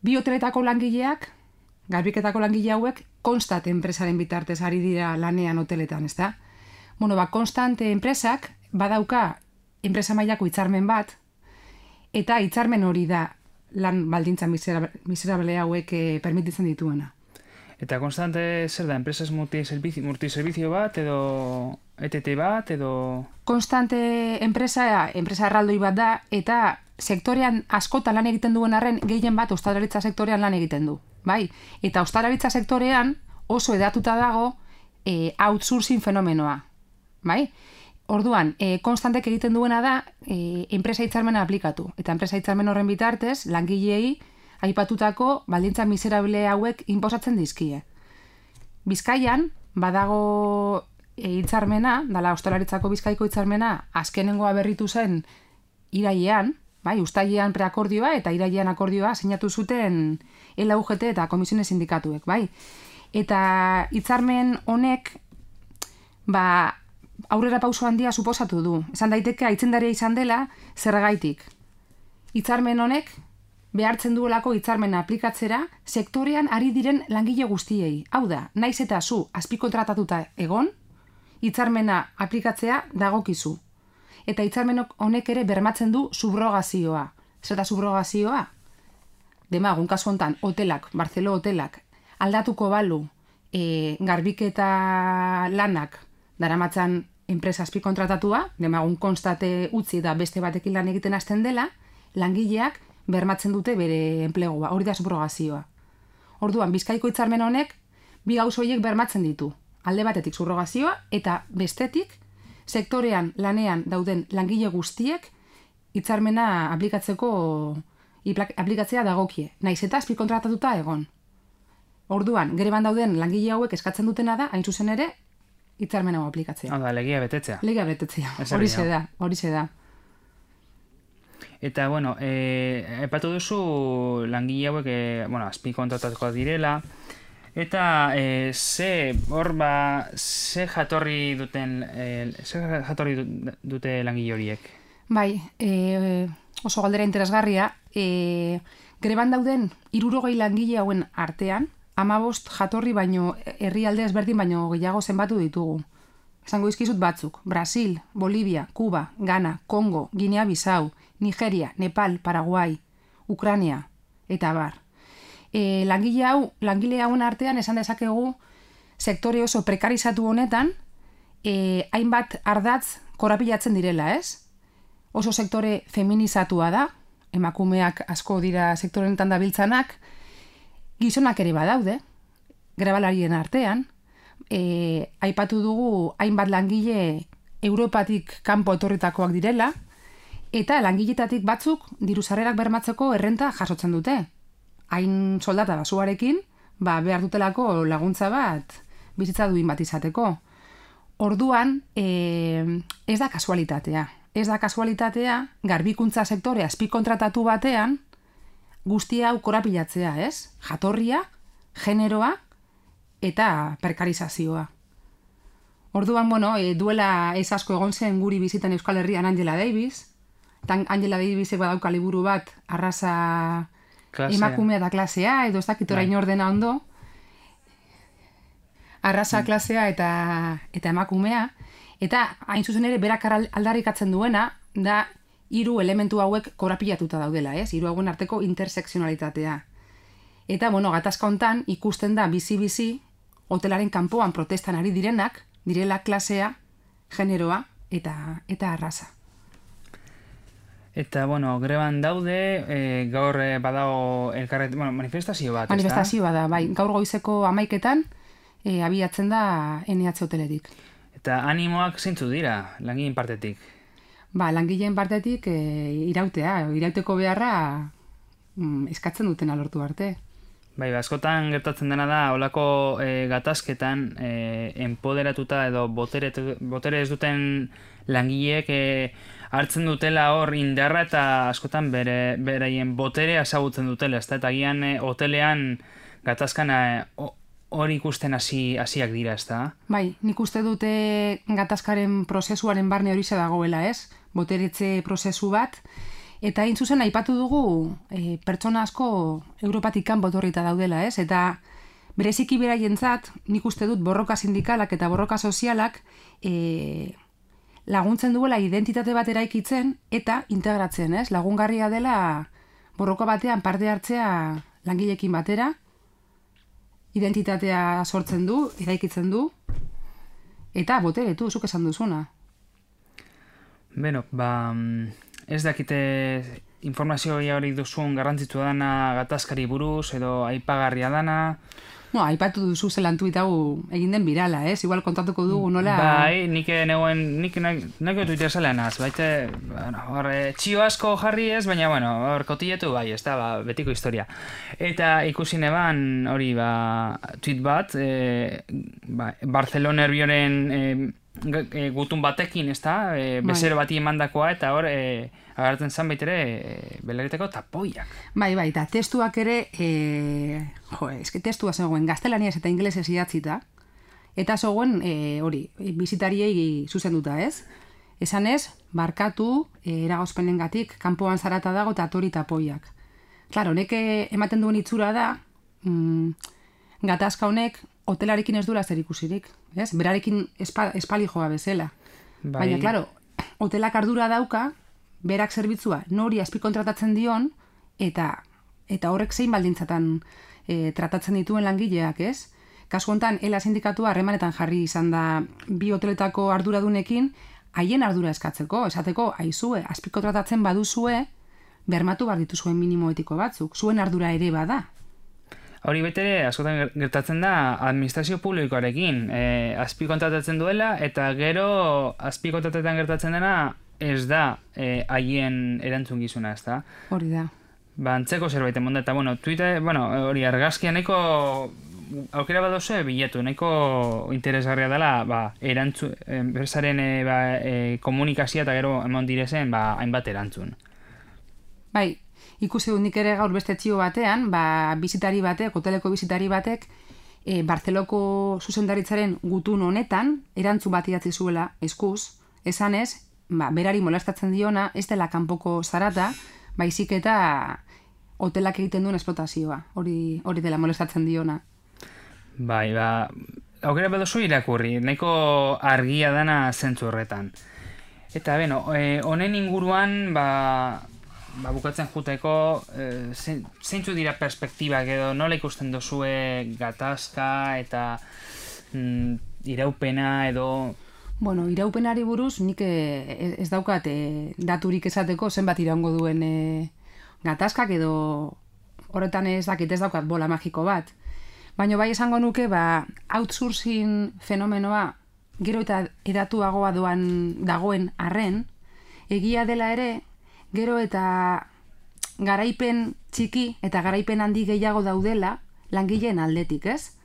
Speaker 5: bi hoteletako langileak, garbiketako langile hauek, Constant enpresaren bitartez ari dira lanean hoteletan, ezta? Bueno, ba, Constant enpresak badauka enpresa mailako hitzarmen bat, eta hitzarmen hori da lan baldintza miserable hauek e, permititzen dituena.
Speaker 3: Eta Constante zer da, enpresas multiservizio bat, edo E T T bat, edo...
Speaker 5: Constante enpresa, enpresa erraldoi bat da, eta sektorean askotan lan egiten duen arren, gehien bat ostalaritza sektorean lan egiten du. Bai? Eta ostalaritza sektorean oso edatuta dago e, outsourcing fenomenoa. Bai? Orduan, e, Constantek egiten duena da e, enpresa hitzarmena aplikatu. Eta enpresa hitzarmen horren bitartez, langilei aipatutako baldintza miserable hauek inposatzen dizkie. Bizkaian, badago hitzarmena, dala ostalaritzako Bizkaiko hitzarmena, azkenengoa berritu zen irailean, bai, uztailean preakordioa eta irailean akordioa sinatu zuten L U G T eta komisiones sindikatuek, bai. Eta hitzarmen honek, ba, aurrera pauso handia suposatu du. Esan daiteke aitzindaria izan dela zergaitik. Hitzarmen honek behartzen duelako hitzarmena aplikatzera sektorean ari diren langile guztiei. Hau da, naiz eta zu azpikontratatuta egon, hitzarmena aplikatzea dagokizu. Eta hitzarmen honek ere bermatzen du subrogazioa. Zer da subrogazioa? Demagun, kasu hontan, hotelak, Barcelo hotelak, aldatuko balu e, garbiketa lanak daramatzan enpresa azpikontratatua, demagun Constate utzi da beste batekin lan egiten hasten dela, langileak bermatzen dute bere enplegua, hori da subrogazioa. Orduan, Bizkaiko hitzarmen honek bi gauza horiek bermatzen ditu. Alde batetik subrogazioa eta bestetik sektorean lanean dauden langile guztiek hitzarmena aplikatzeko aplikatzea dagokie, naiz eta azpikontratatuta egon. Orduan, greban dauden langile hauek eskatzen dutena da, hain zuzen ere, hitzarmen hau aplikatzea.
Speaker 3: Hau da, legia betetzea.
Speaker 5: Legia betetzea,
Speaker 3: Ez
Speaker 5: hori
Speaker 3: herria.
Speaker 5: da, hori da.
Speaker 3: Eta, bueno, e, epatu duzu langile hauek, e, bueno, azpi kontratatuko direla, eta e, ze, hor ba, ze jatorri duten, e, ze jatorri du- dute langile horiek?
Speaker 5: Bai, e, oso galdera interesgarria, e, greban dauden hirurogei langile hauen artean, hamabost jatorri baino herrialde ezberdin baino gehiago zenbatu ditugu. Esango dizkizut batzuk: Brasil, Bolivia, Kuba, Ghana, Kongo, Guinea-Bissau, Nigeria, Nepal, Paraguai, Ukraina, eta bar. E, langile hau, langile hauen artean esan dezakegu sektore oso prekarizatu honetan e, hainbat ardatz korapilatzen direla, ez? Oso sektore feminizatua da, emakumeak asko dira sektore honetan dabiltzanak, gizonak ere badaude, grebalarien artean, e, aipatu dugu hainbat langile Europatik kanpo etorritakoak direla, eta langiletatik batzuk diru sarrerak bermatzeko errenta jasotzen dute. Hain soldata basuarekin, ba, behar dutelako laguntza bat bizitza duin bat izateko. Orduan, e, ez da kasualitatea. Ez da kasualitatea, garbikuntza sektore azpikontratatu batean, guztia hau korapilatzea, ez? Jatorria, generoa eta prekarizazioa. Orduan, bueno, e, duela ez asko egon zen guri bizitan Euskal Herrian Angela Davis, eta Angela Davisek badauka liburu bat, arraza
Speaker 3: Klasea.
Speaker 5: emakumea da klasea, edo ez dakit orain ordena ondo, arraza klasea eta, eta emakumea, eta hain zuzen ere berak aldarrikatzen duena, da hiru elementu hauek korapilatuta daudela, ez? Hiru hauen arteko intersekzionalitatea. Eta, bueno, gatazka hontan ikusten da bizi-bizi hotelaren kanpoan protestan ari direnak, direla klasea, generoa eta, eta arraza.
Speaker 3: Eta, bueno, greban daude, e, gaur e, badago elkarret, bueno, manifestazio bat,
Speaker 5: Manifestazioa da, bai. Gaur goizeko hamaiketan e, abiatzen da N H hoteletik.
Speaker 3: Eta animoak zeintzu dira, langileen partetik?
Speaker 5: Ba, langileen partetik e, irautea, irauteko beharra mm, eskatzen duten lortu arte.
Speaker 3: Bai, askotan gertatzen dena da, olako e, gatazketan e, empoderatuta edo botere, botere ez duten langileek e, hartzen dutela hor indarra eta askotan bere, beraien boterea ezagutzen dutela, ezta? Eta agian e, hotelean gatazkan e, hori ikusten hasi hasiak dira, ezta?
Speaker 5: Bai, nik uste dute gatazkaren prozesuaren barne hori dagoela, ez? Boteretze prozesu bat. Eta hain zuzen aipatu dugu e, pertsona asko Europatik kanpo etorrita daudela, ez? Eta bereziki beraientzat, nik uste dut borroka sindikalak eta borroka sozialak e, laguntzen duela identitate bat eraikitzen eta integratzen, ez? Lagungarria dela borroka batean parte hartzea langileekin batera, identitatea sortzen du, eraikitzen du, eta boteretu, zuk esan duzuna.
Speaker 3: Beno, ba, ez dakite informazio hori duzun garrantzitsua dana gatazkari buruz, edo aipagarria dana.
Speaker 5: No, aipatu duzu zelan tuit hau egin den birala, ez? Igual kontatuko dugu nola...
Speaker 3: Bai, nik neuen, nik neko Twitter zalean az, baite, bueno, hor, txio asko jarri ez, baina, bueno, hor, kotiletu bai, ez da, ba, betiko historia. Eta ikusi neban, hori, ba, tweet bat, e, ba, Barcelona Herbioren e, e, gutun batekin, ez da, e, bezero bati emandakoa, eta hor, e, agartzen zan baitere, e, belariteko tapoiak.
Speaker 5: Bai, bai, eta testuak ere, e, jo, eske testua zegoen gaztelaniaz eta ingelesez idatzita, eta zegoen, e, hori, bizitariei zuzenduta, ez? Esan ez, barkatu, e, eragozpenengatik, kanpoan zarata dago eta atori tapoiak. Claro, honek ematen duen itzura da, mm, gatazka honek hotelarekin ez duela zer ikusirik, ez? Berarekin espa, espalijoa bezala.
Speaker 3: Bai.
Speaker 5: Baina, claro, hotelak ardura dauka, berak zerbitzua nori azpikontratatzen dion, eta eta horrek zein baldintzatan e, tratatzen dituen langileak, ez? Kasu hontan, Ela sindikatua harremanetan jarri izan da bi hoteletako arduradunekin, haien ardura eskatzeko, esateko, aizue, azpikontratatzen baduzue, bermatu behar dituzuen minimo etiko batzuk, zuen ardura ere bada.
Speaker 3: Hori betere, askotan gertatzen da administrazio publikoarekin, e, azpikontratatzen duela, eta gero azpikontratetan gertatzen dena, ez da eh, haien erantzun gizuna, ez da?
Speaker 5: Hori da.
Speaker 3: Ba, antzeko zerbait emonda, eta, bueno, Twitter, bueno, hori argazkianeko aukera badozu bilatu, nahiko interesgarria dela, ba, erantzu, enpresaren e, ba, e, komunikazioa eta gero emon direzen, ba, hainbat erantzun.
Speaker 5: Bai, ikusi dut nik ere gaur beste txio batean, ba, bizitari batek, hoteleko bizitari batek, e, Bartzeloko zuzendaritzaren gutun honetan, erantzun bat idatzi zuela eskuz, esanez, ba, berari molestatzen diona, ez dela kanpoko zarata, baizik eta hotelak egiten duen esplotazioa, hori hori dela molestatzen diona.
Speaker 3: Bai, ba, aukera badozu irakurri, nahiko argia dana zentzu horretan. Eta, beno, honen inguruan, ba, ba, bukatzen juteko, e, zeintzu dira perspektibak edo nola ikusten dozue gatazka eta mm, iraupena edo...
Speaker 5: Bueno, iraupenari buruz nik ez, ez daukat e, daturik esateko zenbat iraungo duen e, gatazkak edo horretan ez dakit ez daukat bola magiko bat. Baina bai esango nuke, ba, outsourcing fenomenoa gero eta edatuagoa doan dagoen arren, egia dela ere, gero eta garaipen txiki eta garaipen handi gehiago daudela langileen aldetik, ez?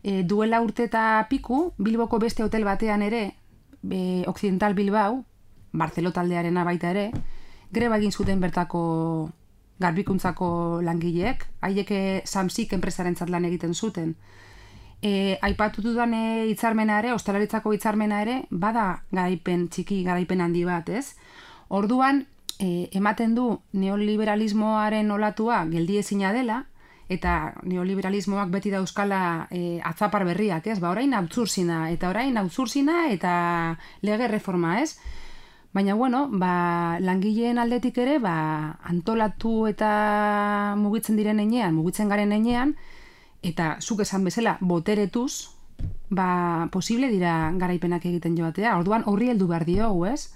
Speaker 5: E, duela urte eta piku, Bilboko beste hotel batean ere, e, Occidental Bilbao, Bartzelo taldearena baita ere, greba egin zuten bertako garbikuntzako langileek, haiek Samsik enpresarentzat lan egiten zuten. E, aipatu dudan e, hitzarmena ere, ostalaritzako hitzarmena ere, bada garaipen txiki, garaipen handi bat, ez? Orduan, e, ematen du neoliberalismoaren olatua geldiezina dela, eta neoliberalismoak beti dauzkala e, atzapar berriak, ez? Ba, orain outsourcina, eta orain outsourcina eta lege reforma, ez? Baina, bueno, ba, langileen aldetik ere, ba, antolatu eta mugitzen diren enean, mugitzen garen enean, eta zuk esan bezala boteretuz, ba, posible dira garaipenak egiten joatea. Orduan, horri heldu behar diogu, ez?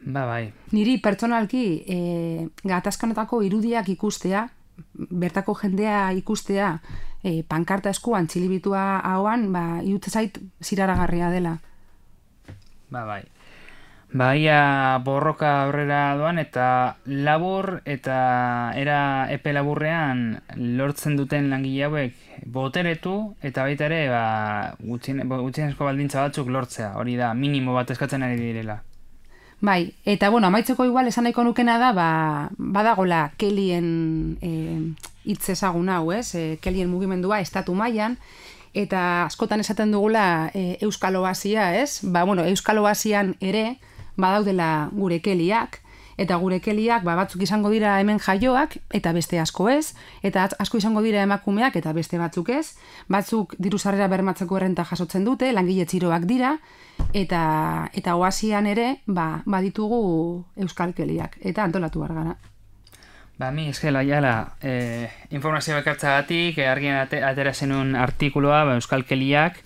Speaker 3: Ba, bai.
Speaker 5: Niri pertsonalki e, gatazkanetako irudiak ikustea, bertako jendea ikustea, e, pankarta eskuan, txilibitua hauan, ba, iutze zait ziraragarria dela.
Speaker 3: Ba, bai. Baia borroka aurrera doan eta labur eta era epe laburrean lortzen duten langile hauek boteretu eta baita ere ba, gutxienezko baldintza batzuk lortzea, hori da minimo bat eskatzen ari direla.
Speaker 5: Bai, eta bueno, amaitzeko igual esan nahiko nukena da, ba, badagola Kellyen hitz e, ezagun hau, ez? E, Kellyen mugimendua estatu mailan, eta askotan esaten dugula e, Euskal Oasia, ez? Ba, bueno, Euskal Oasian ere badaudela gure Kellyak, eta gure Kellyak ba, batzuk izango dira hemen jaioak, eta beste asko ez, eta asko izango dira emakumeak, eta beste batzuk ez, batzuk diru sarrera bermatzeko errenta jasotzen dute, langile txiroak dira, eta eta Oasian ere ba, baditugu Euskal Kellyak, eta antolatu behar gara.
Speaker 3: Ba, mi eskela, jala, eh, informazio bekartzagatik, eh, argian atera zenun artikuloa, ba, Euskal Kellyak,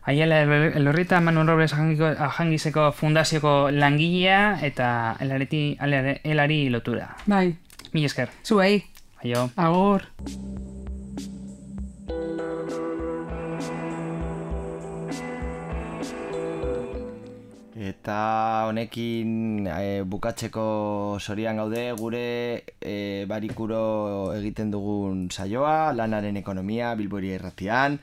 Speaker 3: Aiala Elorrita Manuel Robles Ajangizeko fundazioko langilea eta elareti, elari lotura.
Speaker 5: Bai.
Speaker 3: Mi esker.
Speaker 5: Zuei.
Speaker 3: Aio.
Speaker 5: Agur.
Speaker 4: Eta honekin e, bukatzeko sorian gaude gure e, barikuro egiten dugun saioa, lanaren ekonomia, Bilboria irratian.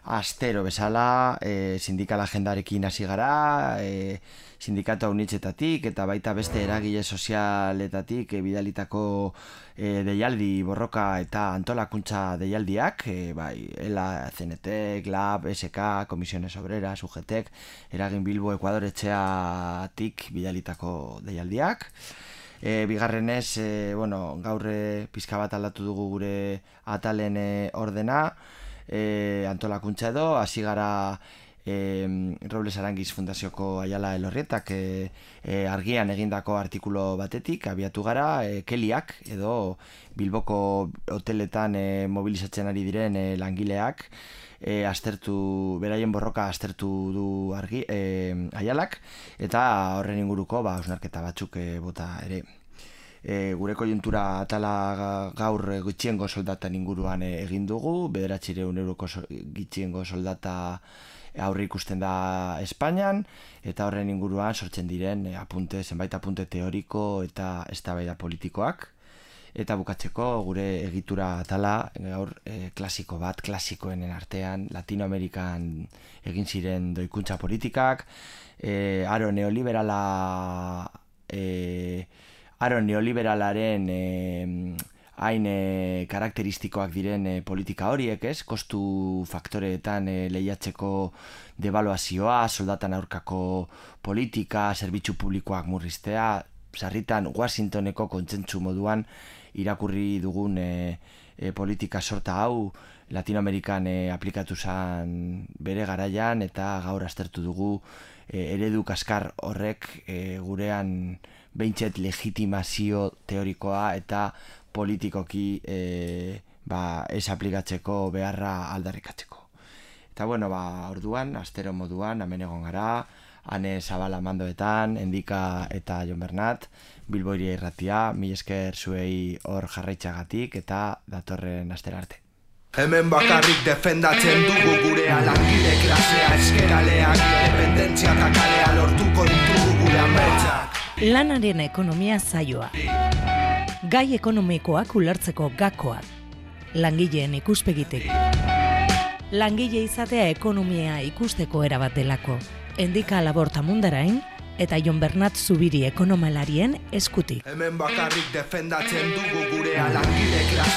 Speaker 4: Astero bezala, e, sindikal agendarekin hasi gara, e, sindikatu haunitzetatik eta baita beste eragile sozialetatik e, bidalitako e, deialdi borroka eta antolakuntza deialdiak, e, bai, ELA, C N T, G L A B, S K, Comisiones Obreras, U G T, Eragin Bilbo, Ekuador etxeatik bidalitako deialdiak. E, bigarrenez, e, bueno, gaur pizka bat aldatu dugu gure atalen e, ordena, E, antolakuntza edo, hasi gara e, Robles Arangiz Fundazioko Aiala Elorrietak e, e, argian egindako artikulo batetik, abiatu gara, e, Kellyak edo Bilboko hoteletan e, mobilizatzen ari diren e, langileak, e, astertu, beraien borroka astertu du argi, e, Aialak, eta horren inguruko ba, osnarketa batzuk e, bota ere. E, gure kojuntura atala gaur gutxiengo soldatan inguruan egin dugu, bederatzireun euroko so, gutxiengo soldata aurre ikusten da Espainian, eta horren inguruan sortzen diren apunte, zenbait apunte teoriko eta eztabaida politikoak. Eta bukatzeko gure egitura atala, gaur e, klasiko bat, klasikoenen artean, Latinoamerikan egin ziren doikuntza politikak, e, aro neoliberala, e, aro neoliberalaren e, hain e, karakteristikoak diren e, politika horiek, ez? Kostu faktoreetan e, lehiatzeko devaluazioa, soldatan aurkako politika, zerbitzu publikoak murriztea, sarritan Washingtoneko kontsentsu moduan irakurri dugun e, e, politika sorta hau Latinoamerikan e, aplikatu zen bere garaian eta gaur aztertu dugu e, eredu kaskar horrek e, gurean behintzet legitimazio teorikoa eta politikoki e, ba, ez aplikatzeko beharra aldarrikatzeko. Eta bueno, ba, orduan, astero moduan, hemen egon gara, Ane Zabala mandoetan, Endika eta Jon Bernat, Bilbo Hiria Irratia, mil esker zuei hor jarraitzagatik eta datorren astera arte.
Speaker 1: Hemen bakarrik defendatzen dugu gurea, langile klasea, eskeraleak, independentzia eta kalea lortuko ditugu gure ametsak.
Speaker 2: Lanaren ekonomia saioa. Gai ekonomikoak ulertzeko gakoak. Langileen ikuspegitik. Langile izatea ekonomia ikusteko erabat delako. Endika Laborta Mundarain eta Jon Bernat Zubiri ekonomalarien eskutik.
Speaker 1: Hemen bakarrik defendatzen dugu gurea, langile klasea.